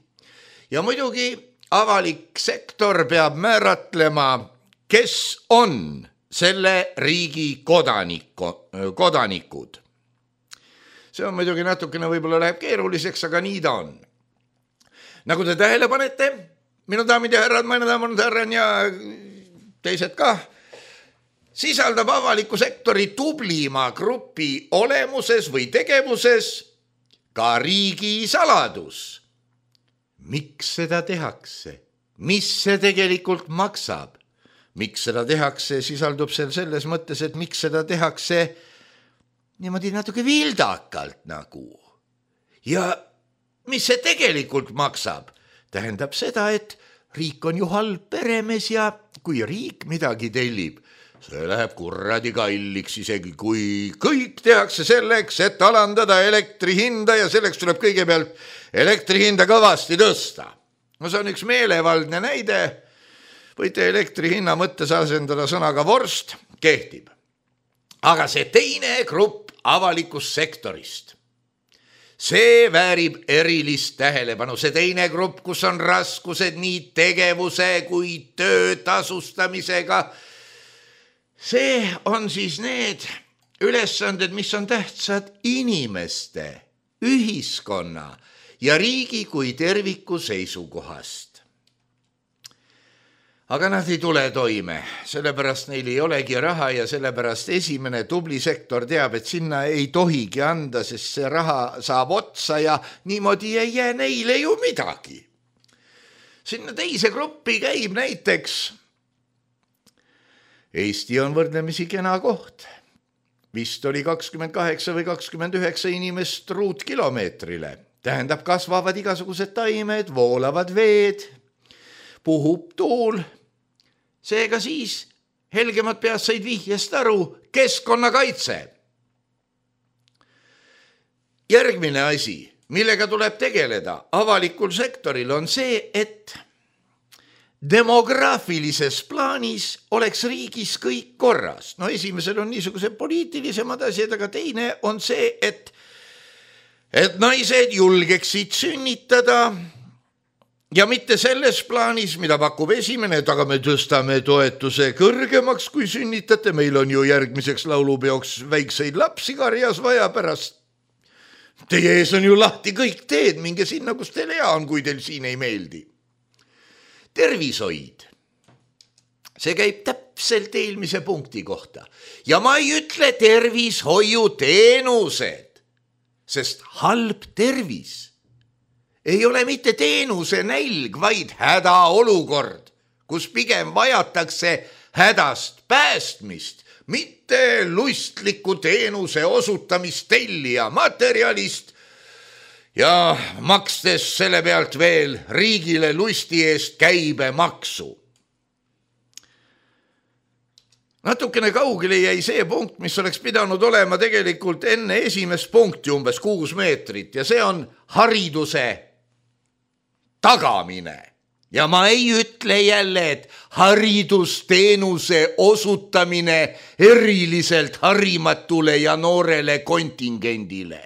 Ja muidugi avalik sektor peab määratlema, kes on selle riigi kodanikud. See on muidugi natukene võib-olla läheb keeruliseks, aga nii ta on. Nagu te tähele panete, minu daamid ja härrad, minu daamid ja härrad ja teised ka, sisaldab avaliku sektori tublima grupi olemuses või tegevuses ka riigi saladus. Miks seda tehakse? Mis see tegelikult maksab? Miks seda tehakse, sisaldub selles mõttes, et miks seda tehakse niimoodi natuke vildakalt nagu. Ja mis see tegelikult maksab? Tähendab seda, et riik on ju halb peremees ja kui riik midagi tellib, see läheb kurradi kalliks, isegi kui kõik tehakse selleks, et alandada elektri hinda ja selleks tuleb kõigepealt elektri hinda kõvasti tõsta. No see on üks meelevaldne näide, võite elektri hinna mõttes asendada sõnaga vorst, kehtib. Aga see teine grupp avalikust sektorist, see väärib erilist tähelepanu. See teine grupp, kus on raskused nii tegevuse kui töö tasustamisega, see on siis need ülesanded, mis on tähtsad inimeste, ühiskonna ja riigi kui terviku seisukohast. Aga nad ei tule toime, sellepärast neil ei olegi raha ja sellepärast esimene tubli sektor teab, et sinna ei tohigi anda, sest see raha saab otsa ja niimoodi ei jää neile ju midagi. Sinna teise gruppi käib näiteks Eesti on võrdlemisi kena koht. Vist oli 28 või 29 inimest ruutkilomeetrile. Tähendab, kasvavad igasugused taimed, voolavad veed, puhub tuul. Seega siis helgemad pead said vihjest aru, keskkonnakaitse. Järgmine asi, millega tuleb tegeleda avalikul sektoril, on see, et demograafilises plaanis oleks riigis kõik korras. No esimesel on niisugused poliitilisemad asjad, aga teine on see, et naised julgeksid sünnitada ja mitte selles plaanis, mida pakub esimene, et aga me tõstame toetuse kõrgemaks, kui sünnitate. Meil on ju järgmiseks laulupeoks väikseid lapsi karjas vaja pärast. Teie ees on ju lahti kõik teed, minge sinna, kus teil hea on, kui teil siin ei meeldi. Tervishoid. See käib täpselt eelmise punkti kohta. Ja ma ei ütle tervishoiuteenused, sest halb tervis ei ole mitte teenuse nälg, vaid hädaolukord. kus pigem vajatakse hädast päästmist, mitte lustliku teenuse osutamist tellija materjalist ja makstes selle pealt veel riigile lusti eest käibemaksu. Natukene kaugele jäi see punkt, mis oleks pidanud olema tegelikult enne esimest punkti umbes 6 meetrit ja see on hariduse tagamine. Ja ma ei ütle jälle, et haridusteenuse osutamine eriliselt harimatule ja noorele kontingendile.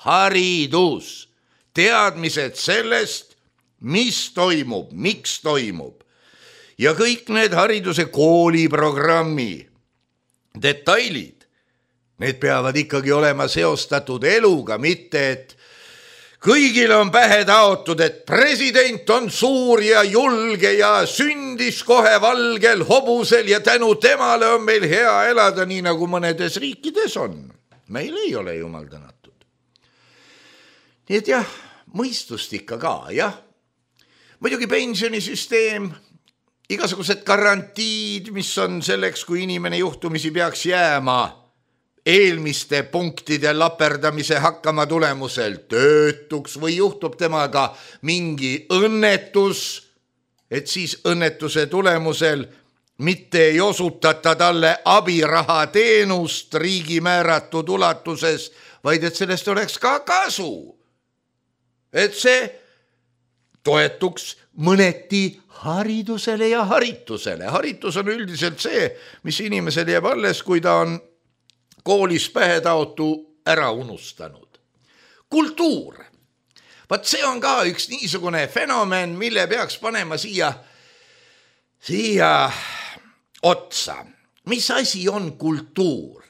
Haridus, teadmised sellest, mis toimub, miks toimub. Ja kõik need hariduse kooliprogrammi detailid, need peavad ikkagi olema seostatud eluga, mitte et kõigile on pähe taotud, et president on suur ja julge ja sündis kohe valgel hobusel ja tänu temale on meil hea elada, nii nagu mõnedes riikides on. Meil ei ole jumal tänatud. Nii et jah, mõistust ikka ka, jah. Muidugi pensionisüsteem, igasugused garantiid, mis on selleks, kui inimene juhtumisi peaks jääma eelmiste punktide laperdamise hakkama tulemusel töötuks või juhtub temaga mingi õnnetus, et siis õnnetuse tulemusel mitte ei osutata talle abiraha teenust riigi määratud ulatuses, vaid et sellest oleks ka kasu. Et see toetuks mõneti haridusele ja haritusele. Haritus on üldiselt see, mis inimesel jääb alles, kui ta on koolis pähetaotu ära unustanud. Kultuur. Vaat see on ka üks niisugune fenomen, mille peaks panema siia otsa. Mis asi on kultuur?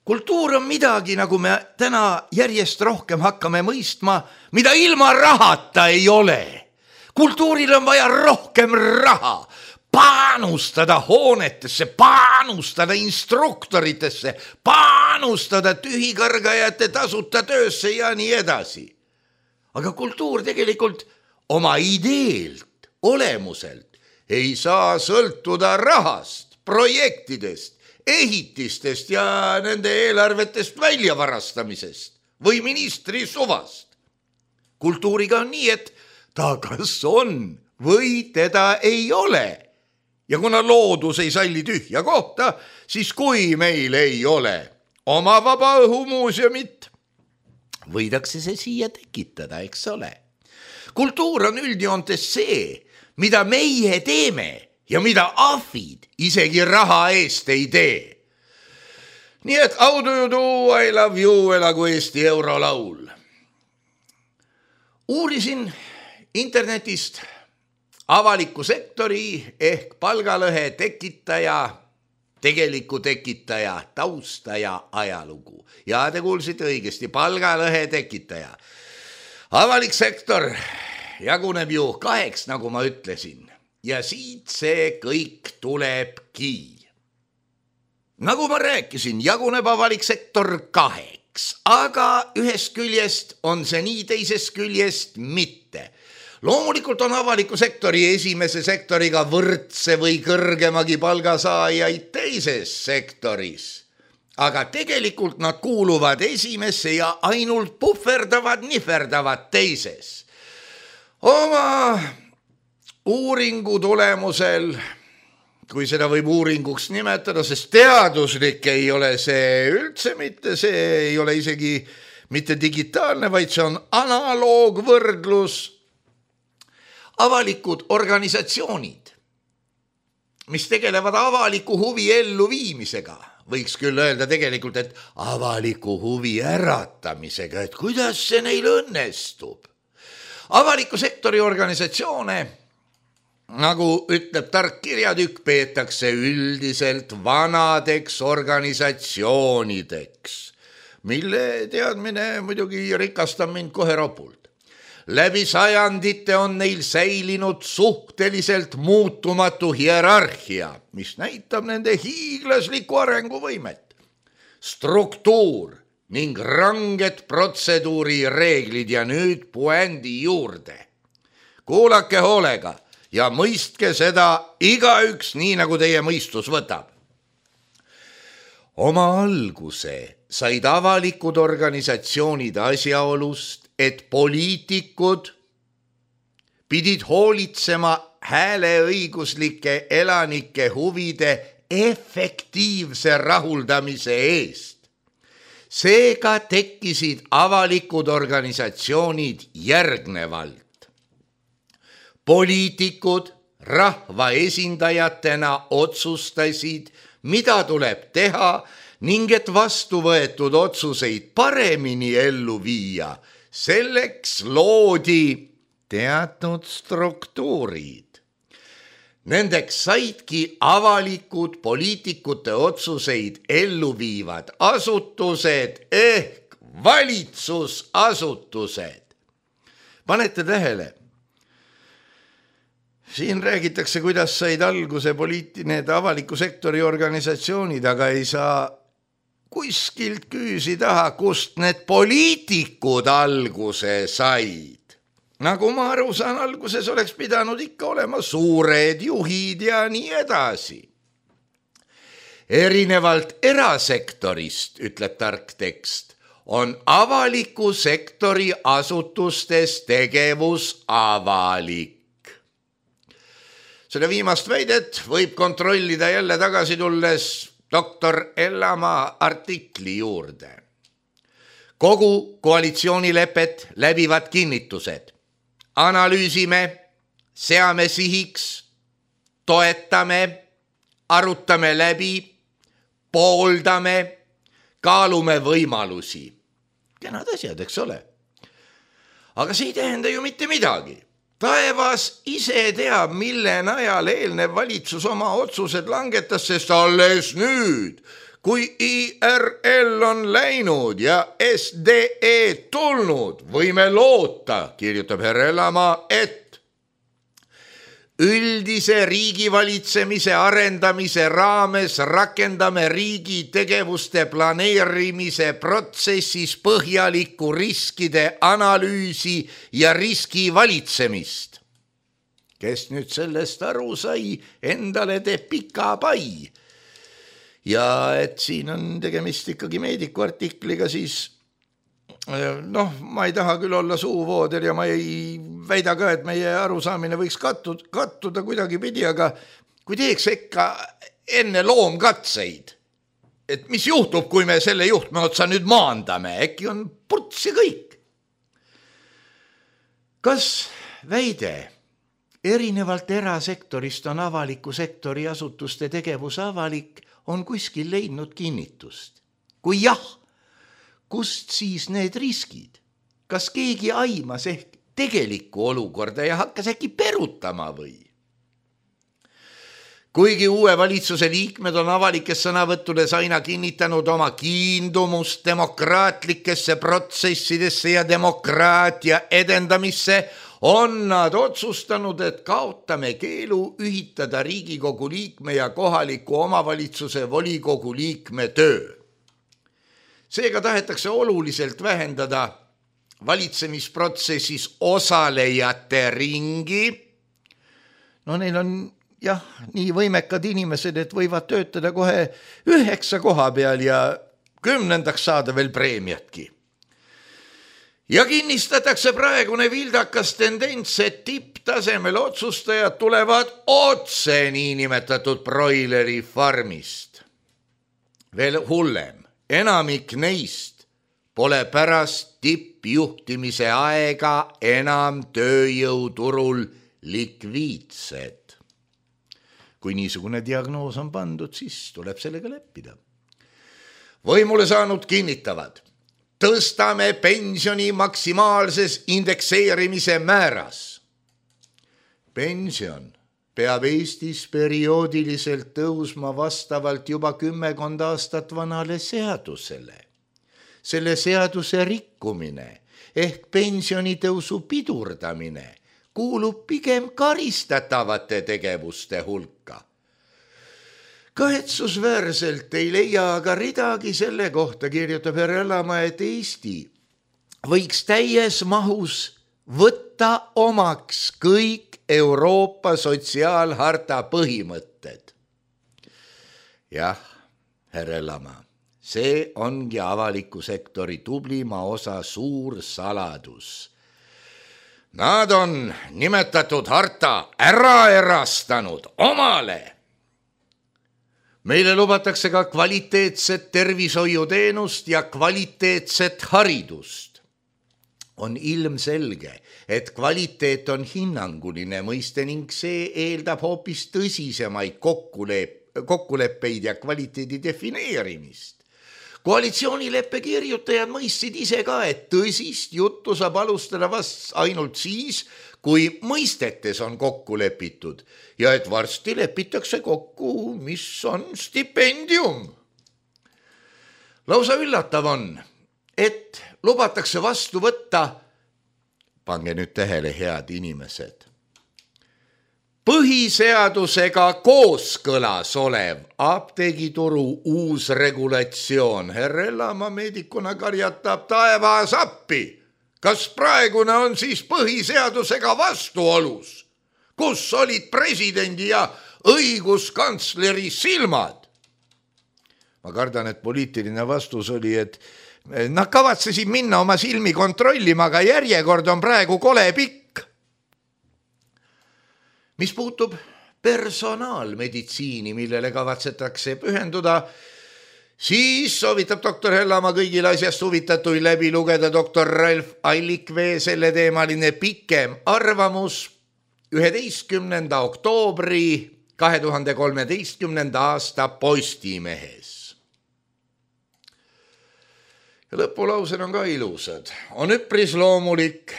Kultuur on midagi, nagu me täna järjest rohkem hakkame mõistma, mida ilma rahata ei ole. Kultuuril on vaja rohkem raha, panustada hoonetesse, panustada instruktoritesse, panustada tühikargajate tasuta töösse ja nii edasi. Aga kultuur tegelikult oma ideelt, olemuselt ei saa sõltuda rahast, projektidest, ehitistest ja nende eelarvetest väljavarastamisest või ministri suvast. Kultuuriga on nii, et ta kas on või teda ei ole. Ja kuna loodus ei salli tühja kohta, siis kui meil ei ole oma vaba õhumuuseumit, võidakse see siia tekitada, eks ole. Kultuur on üldjoontes see, mida meie teeme ja mida ahvid isegi raha eest ei tee. Nii et how do you do, I love you, elagu Eesti eurolaul. Uurisin internetist avaliku sektori ehk palgalõhe tekitaja, tegeliku tekitaja, tausta ja ajalugu. Ja te kuulsite õigesti, palgalõhe tekitaja. Avalik sektor jaguneb ju 2, nagu ma ütlesin. Ja siit see kõik tulebki. Nagu ma rääkisin, jaguneb avalik sektor 2, aga ühest küljest on see nii, teisest küljest mitte. Loomulikult on avaliku sektori esimese sektoriga võrdse või kõrgemagi palgasaajaid teises sektoris. Aga tegelikult nad kuuluvad esimesse ja ainult puhverdavad teises. Oma uuringu tulemusel, kui seda võib uuringuks nimetada, sest teaduslik ei ole see üldse mitte, see ei ole isegi mitte digitaalne, vaid see on analoogvõrdlus. Avalikud organisatsioonid, mis tegelevad avaliku huvi elluviimisega, võiks küll öelda tegelikult, et avaliku huvi äratamisega, et kuidas see neil õnnestub. Avaliku sektori organisatsioone, nagu ütleb tark kirjatükk, peetakse üldiselt vanadeks organisatsioonideks, mille teadmine muidugi rikastab mind kohe ropult. Läbi sajandite on neil säilinud suhteliselt muutumatu hierarhia, mis näitab nende hiiglaslikku arenguvõimet. Struktuur ning ranged protseduuri reeglid ja nüüd puändi juurde. Kuulake hoolega ja mõistke seda igaüks nii, nagu teie mõistus võtab. Oma alguse said avalikud organisatsioonid asjaolust, et poliitikud pidid hoolitsema hääleõiguslike elanike huvide efektiivse rahuldamise eest. Seega tekkisid avalikud organisatsioonid järgnevalt. Poliitikud rahva esindajatena otsustasid, mida tuleb teha ning et vastu võetud otsuseid paremini ellu viia. Selleks loodi teatud struktuurid. Nendeks saidki avalikud poliitikute otsuseid ellu viivad asutused ehk valitsusasutused. Panete tähele? Siin räägitakse, kuidas said alguse need avaliku sektori organisatsioonid, aga ei saa kuskilt küüsi taha, kust need poliitikud alguse said. Nagu ma aru saan, alguses oleks pidanud ikka olema suured juhid ja nii edasi. Erinevalt erasektorist, ütleb tark tekst, on avaliku sektori asutustes tegevus avalik. Selle viimast väidet võib kontrollida jälle tagasi tulles doktor Ellamaa artikli juurde. Kogu koalitsioonilepet läbivad kinnitused. Analüüsime, seame sihiks, toetame, arutame läbi, pooldame, kaalume võimalusi. Kenad asjad, eks ole. Aga see ei tähenda ju mitte midagi. Taevas ise teab, mille najal eelnev valitsus oma otsused langetas, sest alles nüüd, kui IRL on läinud ja SDE tulnud, võime loota, kirjutab härra Ellamaa, et üldise riigivalitsemise arendamise raames rakendame riigi tegevuste planeerimise protsessis põhjalikku riskide analüüsi ja riskivalitsemist. Kes nüüd sellest aru sai, endale teeb pika pai. Ja et siin on tegemist ikkagi meediku artikliga, siis ma ei taha küll olla suuvooder ja ma ei väida ka, et meie arusaamine võiks kattuda kuidagi pidi, aga kui teeks ikka enne loomkatseid, et mis juhtub, kui me selle juhtme otsa nüüd maandame, äkki on purts ja kõik. Kas väide erinevalt erasektorist on avaliku sektori asutuste tegevus avalik, on kuskil leidnud kinnitust? Kui jah, kust siis need riskid? Kas keegi aimas ehk tegelikku olukorda ja hakkas äkki perutama või? Kuigi uue valitsuse liikmed on avalikes sõnavõttudes aina kinnitanud oma kiindumust demokraatlikesse protsessidesse ja demokraatia edendamisse, on nad otsustanud, et kaotame keelu ühitada Riigikogu liikme ja kohaliku omavalitsuse volikogu liikme töö. Seega tahetakse oluliselt vähendada valitsemisprotsessis osalejate ringi. Neil on nii võimekad inimesed, et võivad töötada kohe 9 koha peal ja 10. saada veel preemiatki. Ja kinnistatakse praegune vildakas tendents, et tipptasemel otsustajad tulevad otse niinimetatud broileri farmist. Veel hullem, enamik neist pole pärast tippjuhtimise aega enam tööjõuturul likviidsed. Kui niisugune diagnoos on pandud, siis tuleb sellega leppida. Võimule saanud kinnitavad, tõstame pensioni maksimaalses indekseerimise määras. Pension peab Eestis perioodiliselt tõusma vastavalt juba 10 aastat vanale seadusele. Selle seaduse rikkumine ehk pensionitõusu pidurdamine kuulub pigem karistatavate tegevuste hulka. Kahetsusväärselt ei leia aga ridagi selle kohta, kirjutab härra Ellamaa, et Eesti võiks täies mahus võtta omaks kõik Euroopa sotsiaalharta põhimõtted. Jah, härra Ellamaa, see ongi avaliku sektori tublima osa suur saladus. Nad on nimetatud harta ära erastanud omale. Meile lubatakse ka kvaliteetset tervishoiuteenust ja kvaliteetset haridust. On ilmselge, et kvaliteet on hinnanguline mõiste ning see eeldab hoopis tõsisemaid kokkuleppeid ja kvaliteedi defineerimist. Koalitsioonileppe kirjutajad mõistsid ise ka, et tõsist juttu saab alustada vast ainult siis, kui mõistetes on kokku lepitud ja et varsti lepitakse kokku, mis on stipendium. Lausa üllatav on, et lubatakse vastu võtta, pange nüüd tähele, head inimesed, põhiseadusega kooskõlas olev apteegituru uus regulatsioon. Herr Ellamaa meedikuna karjatab taevas appi. Kas praegune on siis põhiseadusega vastuolus? Kus olid presidendi ja õiguskantsleri silmad? Ma kardan, et poliitiline vastus oli, et nad kavatsesid minna oma silmi kontrollima, aga järjekord on praegu kole pikk. Mis puutub personaalmeditsiini, millele kavatsetakse pühenduda, siis soovitab doktor Ellamaa kõigil asjast huvitatuid läbi lugeda doktor Ralf Allikvee selleteemaline pikem arvamus 11. oktoobri 2013. aasta Postimehes. Ja lõpulaused on ka ilusad. On üpris loomulik,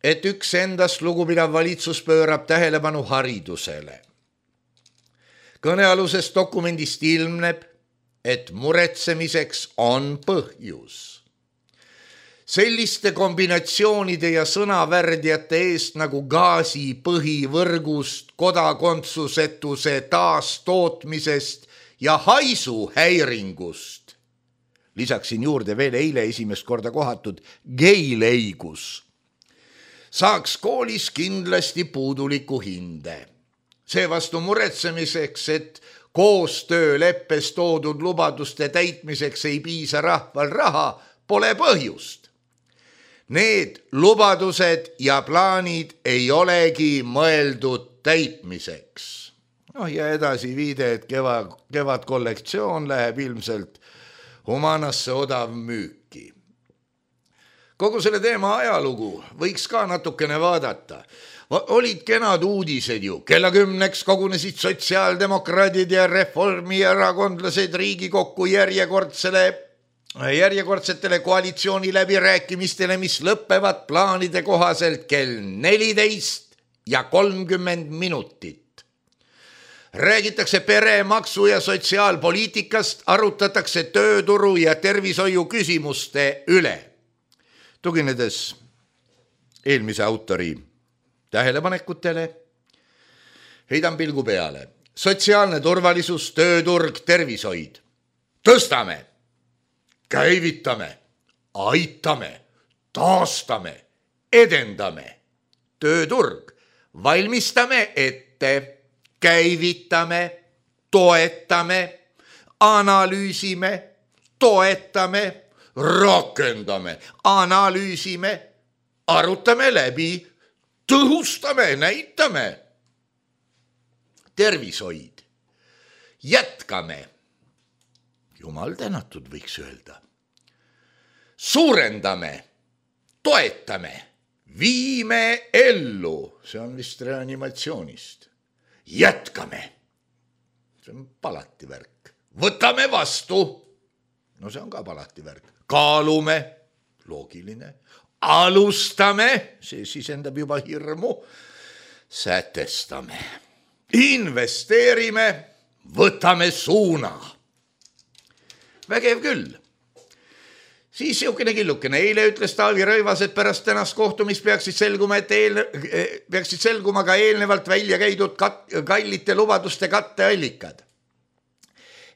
et üks endast lugupidav valitsus pöörab tähelepanu haridusele. Kõnealusest dokumendist ilmneb, et muretsemiseks on põhjus. Selliste kombinatsioonide ja sõnavärdjate eest nagu gaasi põhivõrgust, kodakondsusetuse taastootmisest ja haisuhäiringust. Lisaksin juurde veel eile esimest korda kohatud geileigus. Saaks koolis kindlasti puuduliku hinde. Seevastu muretsemiseks, et koostööleppes toodud lubaduste täitmiseks ei piisa rahval raha, pole põhjust. Need lubadused ja plaanid ei olegi mõeldud täitmiseks. Ja edasi viide, et kevad kollektsioon läheb ilmselt Humanasse odav müüki. Kogu selle teema ajalugu võiks ka natukene vaadata. Olid kenad uudised ju. Kella 10 kogunesid sotsiaaldemokraadid ja reformierakondlased Riigikokku järjekordsetele koalitsiooni läbirääkimistele, mis lõppevad plaanide kohaselt kell 14:30. Räägitakse peremaksu ja sotsiaalpoliitikast, arutatakse tööturu ja tervishoiu küsimuste üle. Tuginedes eelmise autori tähelepanekutele, heidan pilgu peale. Sotsiaalne turvalisus, tööturg, tervishoid. Tõstame, käivitame, aitame, taastame, edendame. Tööturg, valmistame ette, käivitame, toetame, analüüsime, toetame, rakendame, analüüsime, arutame läbi, tõhustame, näitame. Tervishoid, jätkame, jumal tänatud võiks öelda. Suurendame, toetame, viime ellu, see on vist reanimatsioonist. Jätkame, see on palativärk. Võtame vastu, no see on ka palativärk. Kaalume, loogiline. Alustame, see sisendab juba hirmu. Sätestame, investeerime, võtame suuna. Vägev küll. Siis siukene killukene. Eile ütles Taavi Rõivas, et pärast tänast kohtumist peaksid selguma ka eelnevalt välja käidud kallite lubaduste katteallikad.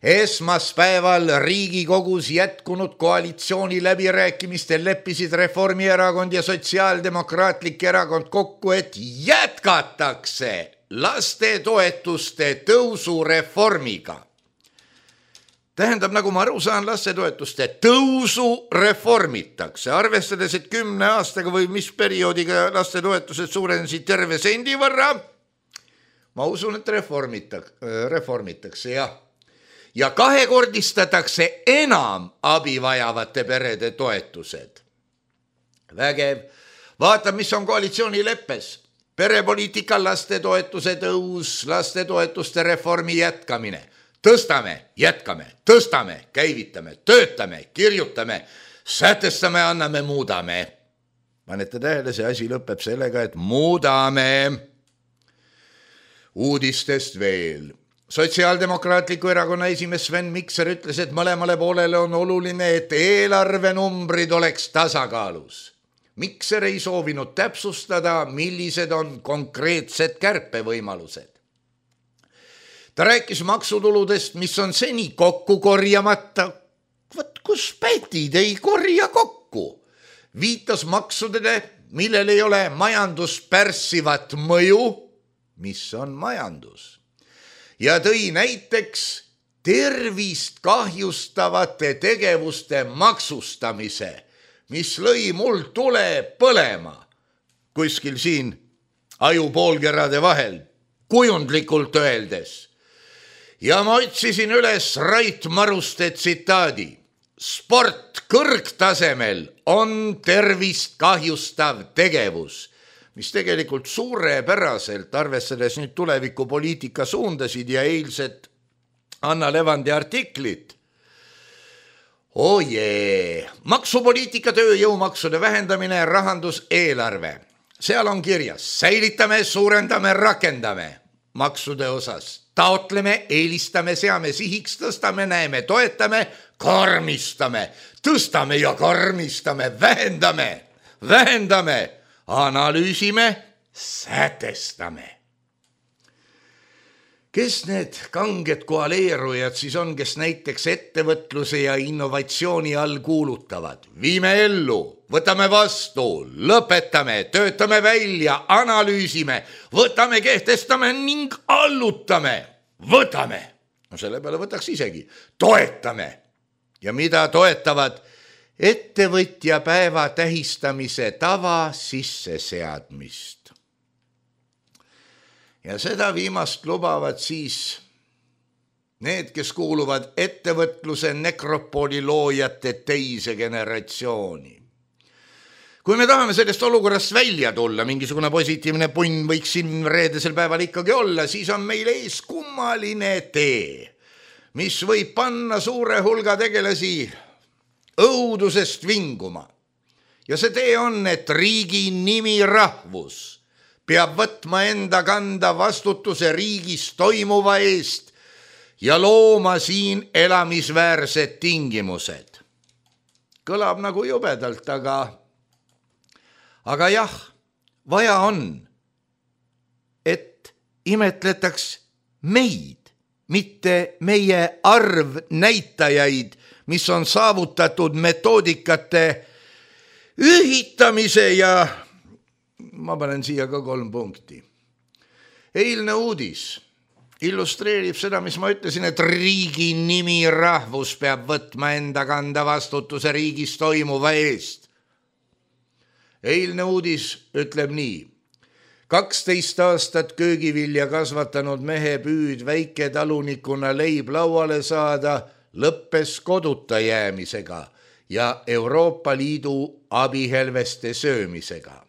Esmaspäeval Riigikogus jätkunud koalitsiooni läbirääkimistel leppisid Reformierakond ja Sotsiaaldemokraatlik erakond kokku, et jätkatakse lastetoetuste tõusu reformiga. Tähendab, nagu ma aru saan, lastetoetuste tõusu reformitakse, arvestades, et 10 aastaga või mis perioodiga lastetoetused suurenesid terve sendi võrra. Ma usun, et reformitakse, jah. Ja kahekordistatakse enam abi vajavate perede toetused. Vägev. Vaata, mis on koalitsioonileppes. Perepoliitika lastetoetuse tõus, lastetoetuste reformi jätkamine. Tõstame, jätkame, tõstame, käivitame, töötame, kirjutame, sätestame, anname, muudame. Panete tähele, see asi lõpeb sellega, et muudame. Uudistest veel. Sotsiaaldemokraatliku erakonna esimees Sven Mikser ütles, et mõlemale poolele on oluline, et eelarvenumbrid oleks tasakaalus. Mikser ei soovinud täpsustada, millised on konkreetsed kärpevõimalused. Ta rääkis maksutuludest, mis on seni kokku korjamata. Võt, kus pätid ei korja kokku. Viitas maksudele, millel ei ole majanduspärssivat mõju, mis on majandus. Ja tõi näiteks tervist kahjustavate tegevuste maksustamise, mis lõi mul tule põlema kuskil siin ajupoolkerade vahel, kujundlikult öeldes. Ja ma otsisin üles Rait Maruste tsitaadi. Sport kõrgtasemel on tervist kahjustav tegevus, mis tegelikult suurepäraselt arvestades nüüd tulevikupoliitika suundasid ja eilset Anna Levandi artiklit. Ojee, maksupoliitika, tööjõumaksude vähendamine, rahanduseelarve. Seal on kirjas, säilitame, suurendame, rakendame maksude osas. Taotleme, eelistame, seame sihiks, tõstame, näeme, toetame, karmistame, tõstame ja karmistame, vähendame, analüüsime, sätestame. Kes need kanged koaleerujad siis on, kes näiteks ettevõtluse ja innovatsiooni all kuulutavad? Viime ellu, võtame vastu, lõpetame, töötame välja, analüüsime, võtame, kehtestame ning allutame. Võtame. No selle peale võtaks isegi. Toetame. Ja mida toetavad? Ettevõtja päeva tähistamise tava sisseseadmist. Ja seda viimast lubavad siis need, kes kuuluvad ettevõtluse nekropooli loojate teise generatsiooni. Kui me tahame sellest olukorrast välja tulla, mingisugune positiivne punn võiks siin reedesel päeval ikkagi olla, siis on meil ees kummaline tee, mis võib panna suure hulga tegelasi õudusest vinguma. Ja see tee on, et riigi nimi rahvus peab võtma enda kanda vastutuse riigis toimuva eest ja looma siin elamisväärsed tingimused. Kõlab nagu jubedalt, aga jah, vaja on, et imetletaks meid, mitte meie arvnäitajaid, mis on saavutatud metoodikate ühitamise ja ma panen siia ka 3 punkti. Eilne uudis illustreerib seda, mis ma ütlesin, et riigi nimi rahvus peab võtma enda kanda vastutuse riigis toimuva eest. Eilne uudis ütleb nii. 12 aastat köögivilja kasvatanud mehe püüd väiketalunikuna leib lauale saada lõppes koduta jäämisega ja Euroopa Liidu abihelveste söömisega.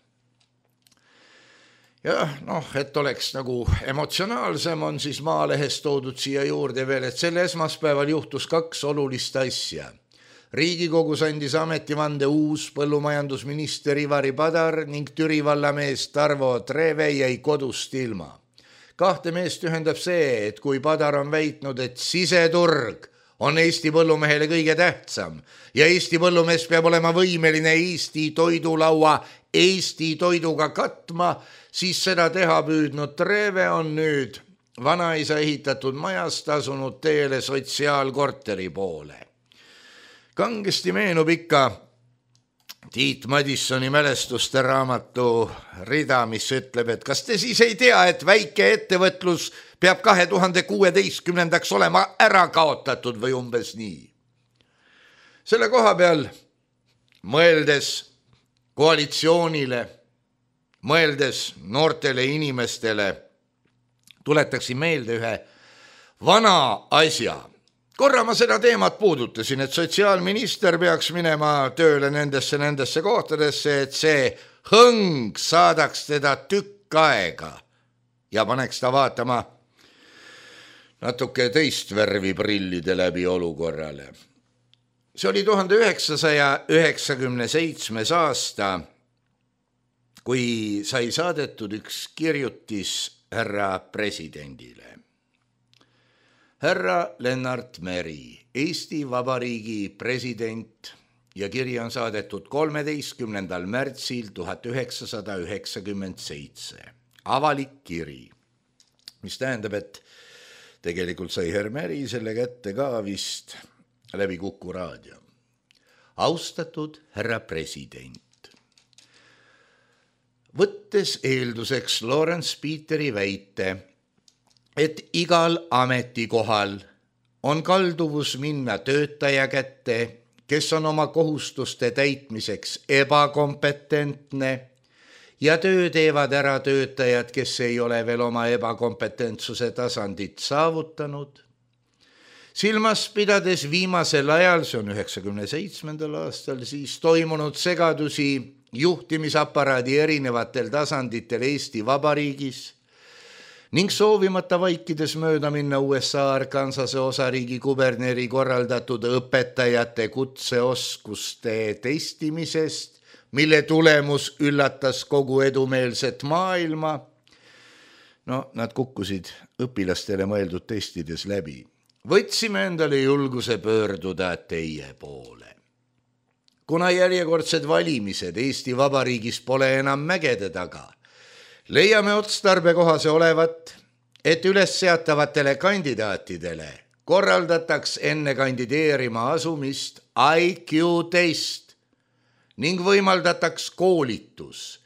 Ja et oleks nagu emotsionaalsem, on siis Maalehes toodud siia juurde veel, et selle esmaspäeval juhtus 2 olulist asja. Riigikogus andis ametivande uus põllumajandusminister Ivari Padar ning Türi vallamees Tarvo Treve jäi kodust ilma. 2 meest ühendab see, et kui Padar on väitnud, et siseturg on Eesti põllumehele kõige tähtsam ja Eesti põllumees peab olema võimeline Eesti toidulaua Eesti toiduga katma, siis seda teha püüdnud Treve on nüüd vanaisa ehitatud majast asunud teele sotsiaalkorteri poole. Kangesti meenub ikka Tiit Madissoni mälestuste raamatu rida, mis ütleb, et kas te siis ei tea, et väike ettevõtlus peab 2016 olema ära kaotatud või umbes nii. Selle koha peal mõeldes koalitsioonile, mõeldes noortele inimestele, tuletaksin meelde ühe vana asja. Korra ma seda teemat puudutasin, et sotsiaalminister peaks minema tööle nendesse kohtadesse, et see hõng saadaks teda tükk aega ja paneks ta vaatama natuke teist värvi prillide läbi olukorrale. See oli 1997. aasta, kui sai saadetud üks kirjutis härra presidendile. Härra Lennart Meri, Eesti Vabariigi president ja kiri on saadetud 13. märtsil 1997. Avalik kiri, mis tähendab, et tegelikult sai härra Meri selle kätte ka vist läbi Kuku raadio. Austatud härra president, võttes eelduseks Lawrence Peteri väite, et igal ametikohal on kalduvus minna töötaja kätte, kes on oma kohustuste täitmiseks ebakompetentne ja töö teevad ära töötajad, kes ei ole veel oma ebakompetentsuse tasandit saavutanud. Silmas pidades viimasel ajal, see on 97. aastal, siis toimunud segadusi juhtimisaparaadi erinevatel tasanditel Eesti Vabariigis ning soovimata vaikides mööda minna USA Arkansase osariigi kuberneri korraldatud õpetajate kutseoskuste testimisest, mille tulemus üllatas kogu edumeelset maailma. No, nad kukkusid õpilastele mõeldud testides läbi. Võtsime endale julguse pöörduda teie poole. Kuna järjekordsed valimised Eesti Vabariigis pole enam mägede taga, leiame otstarbekohase olevat, et üles seatavatele kandidaatidele korraldataks enne kandideerima asumist IQ-test ning võimaldataks koolitus,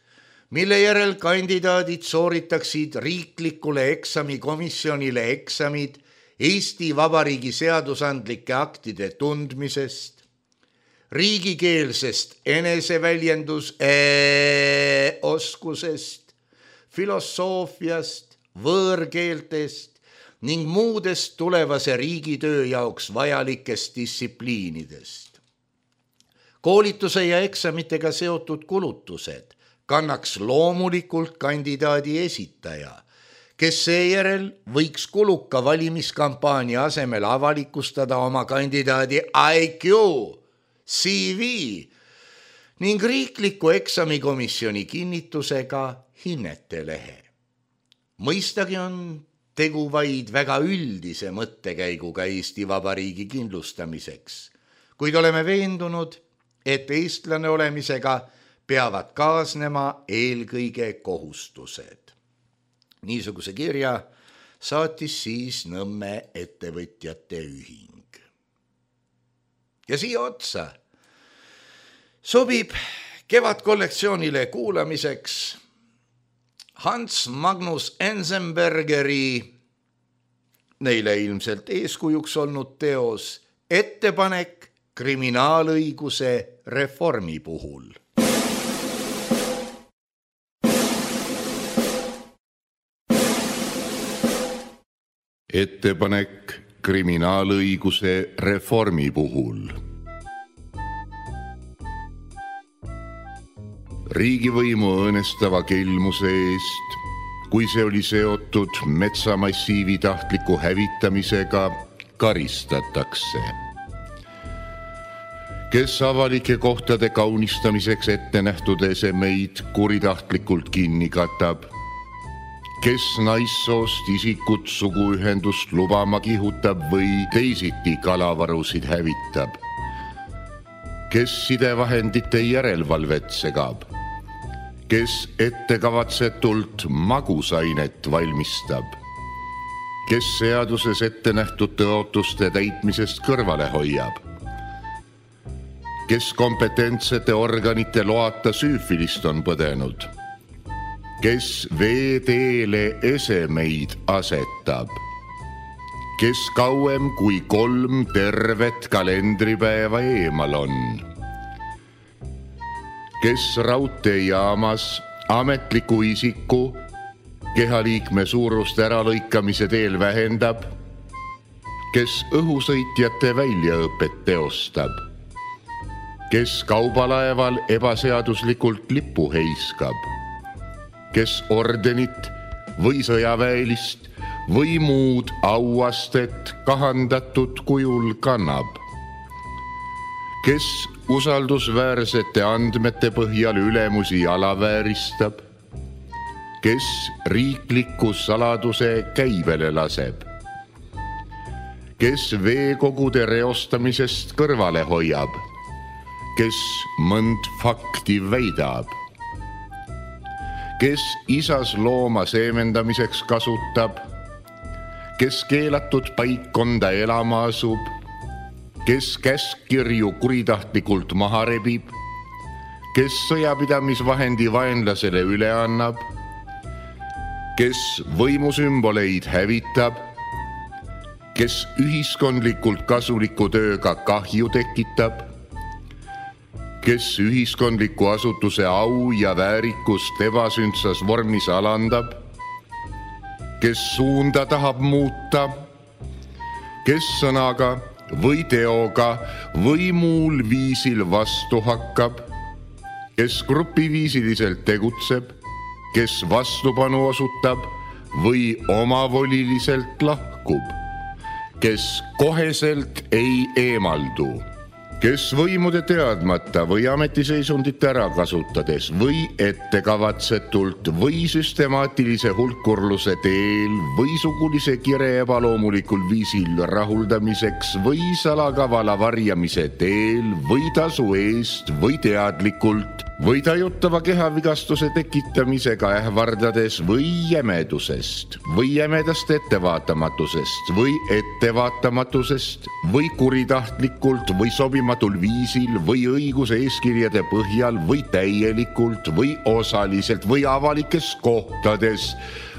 mille järel kandidaadid sooritaksid riiklikule eksamikomisjonile eksamid Eesti Vabariigi seadusandlike aktide tundmisest, riigikeelsest eneseväljendusoskusest, filosoofiast, võõrkeeltest ning muudest tulevase riigitöö jaoks vajalikest distsipliinidest. Koolituse ja eksamitega seotud kulutused kannaks loomulikult kandidaadi esitaja, kes seejärel võiks kuluka valimiskampaania asemel avalikustada oma kandidaadi IQ, CV ning riikliku eksamikomisjoni kinnitusega hinnetelehe. Mõistagi on tegu vaid väga üldise mõttekäiguga Eesti Vabariigi kindlustamiseks, kuid oleme veendunud, et eestlane olemisega peavad kaasnema eelkõige kohustused. Niisuguse kirja saatis siis Nõmme ettevõtjate ühing. Ja siia otsa sobib kevadkollektsioonile kuulamiseks Hans Magnus Enzensbergeri, neile ilmselt eeskujuks olnud teos, ettepanek kriminaalõiguse reformi puhul. Ettepanek kriminaalõiguse reformi puhul. Riigivõimu õõnestava kelmuse eest, kui see oli seotud metsamassiivi tahtliku hävitamisega, karistatakse. Kes avalike kohtade kaunistamiseks ette nähtud esemeid kuritahtlikult kinni katab, kes naissoost isikut suguühendust lubama kihutab või teisiti kalavarusid hävitab, kes sidevahendite järelevalvet segab, kes ettekavatsetult magusainet valmistab, kes seaduses ette nähtud tõotuste täitmisest kõrvale hoiab, kes kompetentsete organite loata süüfilist on põdenud, kes veeteele esemeid asetab, kes kauem kui 3 tervet kalendripäeva eemal on, kes raudteejaamas ametliku isiku kehaliikme suurust äralõikamise teel vähendab, kes õhusõitjate väljaõpet teostab, kes kaubalaeval ebaseaduslikult lippu heiskab, kes ordenit või sõjaväelist või muud auastet kahandatud kujul kannab, kes usaldusväärsete andmete põhjal ülemusi alavääristab, kes riikliku saladuse käibele laseb, kes veekogude reostamisest kõrvale hoiab, kes mõnd fakti väidab, kes isas looma seemendamiseks kasutab, kes keelatud paikkonda elama asub, kes käskkirju kuritahtlikult maha rebib, kes sõjapidamisvahendi vaenlasele üle annab, kes võimusümboleid hävitab, kes ühiskondlikult kasuliku tööga kahju tekitab, kes ühiskondliku asutuse au ja väärikust ebasündsas vormis alandab, kes suunda tahab muuta, kes sõnaga või teoga või muul viisil vastu hakkab, kes grupiviisiliselt tegutseb, kes vastupanu osutab või omavoliliselt lahkub, kes koheselt ei eemaldu, kes võimude teadmata või ametiseisundit ära kasutades või ettekavatsetult või süstemaatilise hulkurluse teel või sugulise kire ebaloomulikul viisil rahuldamiseks või salakavala varjamise teel või tasu eest või teadlikult või tajutava kehavigastuse tekitamisega ähvardades või jämedusest või jämedast ettevaatamatusest või ettevaatamatusest või kuritahtlikult või sobimatul viisil või õiguse eeskirjade põhjal või täielikult või osaliselt või avalikes kohtades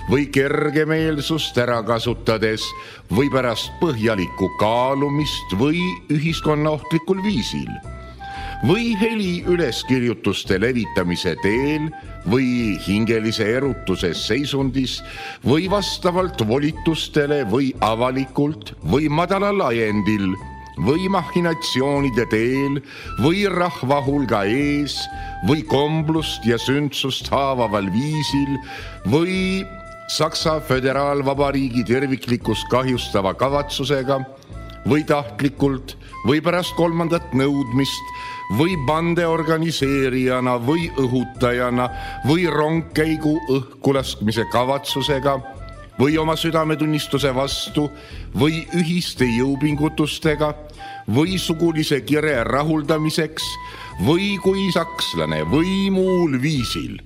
või kergemeelsust ära kasutades või pärast põhjalikku kaalumist või ühiskonnaohtlikul viisil või heli üleskirjutuste levitamise teel või hingelise erutuse seisundis või vastavalt volitustele või avalikult või madalal ajendil või mahhinatsioonide teel või rahva hulga ees või komblust ja sündsust haavaval viisil või Saksa Föderaalvabariigi terviklikkust kahjustava kavatsusega või tahtlikult või pärast 3. nõudmist või bande organiseerijana või õhutajana või rongkäigu õhkulaskmise kavatsusega või oma südametunnistuse vastu või ühiste jõupingutustega või sugulise kire rahuldamiseks või kui sakslane või muul viisil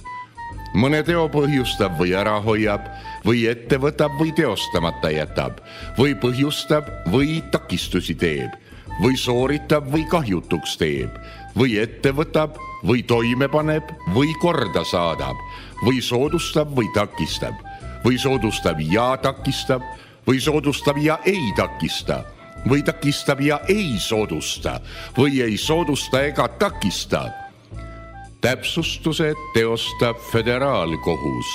mõne teo põhjustab või ära hoiab või ette võtab või teostamata jätab või põhjustab või takistusi teeb või sooritab või kahjutuks teeb või ette võtab või toime paneb või korda saadab või soodustab või takistab või soodustab ja takistab või soodustab ja ei takista või takistab ja ei soodusta või ei soodusta ega takista. Täpsustused teostab föderaalkohus.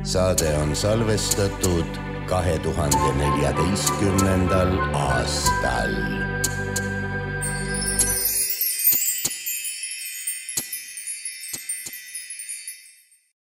Saade on salvestatud 2014. aastal.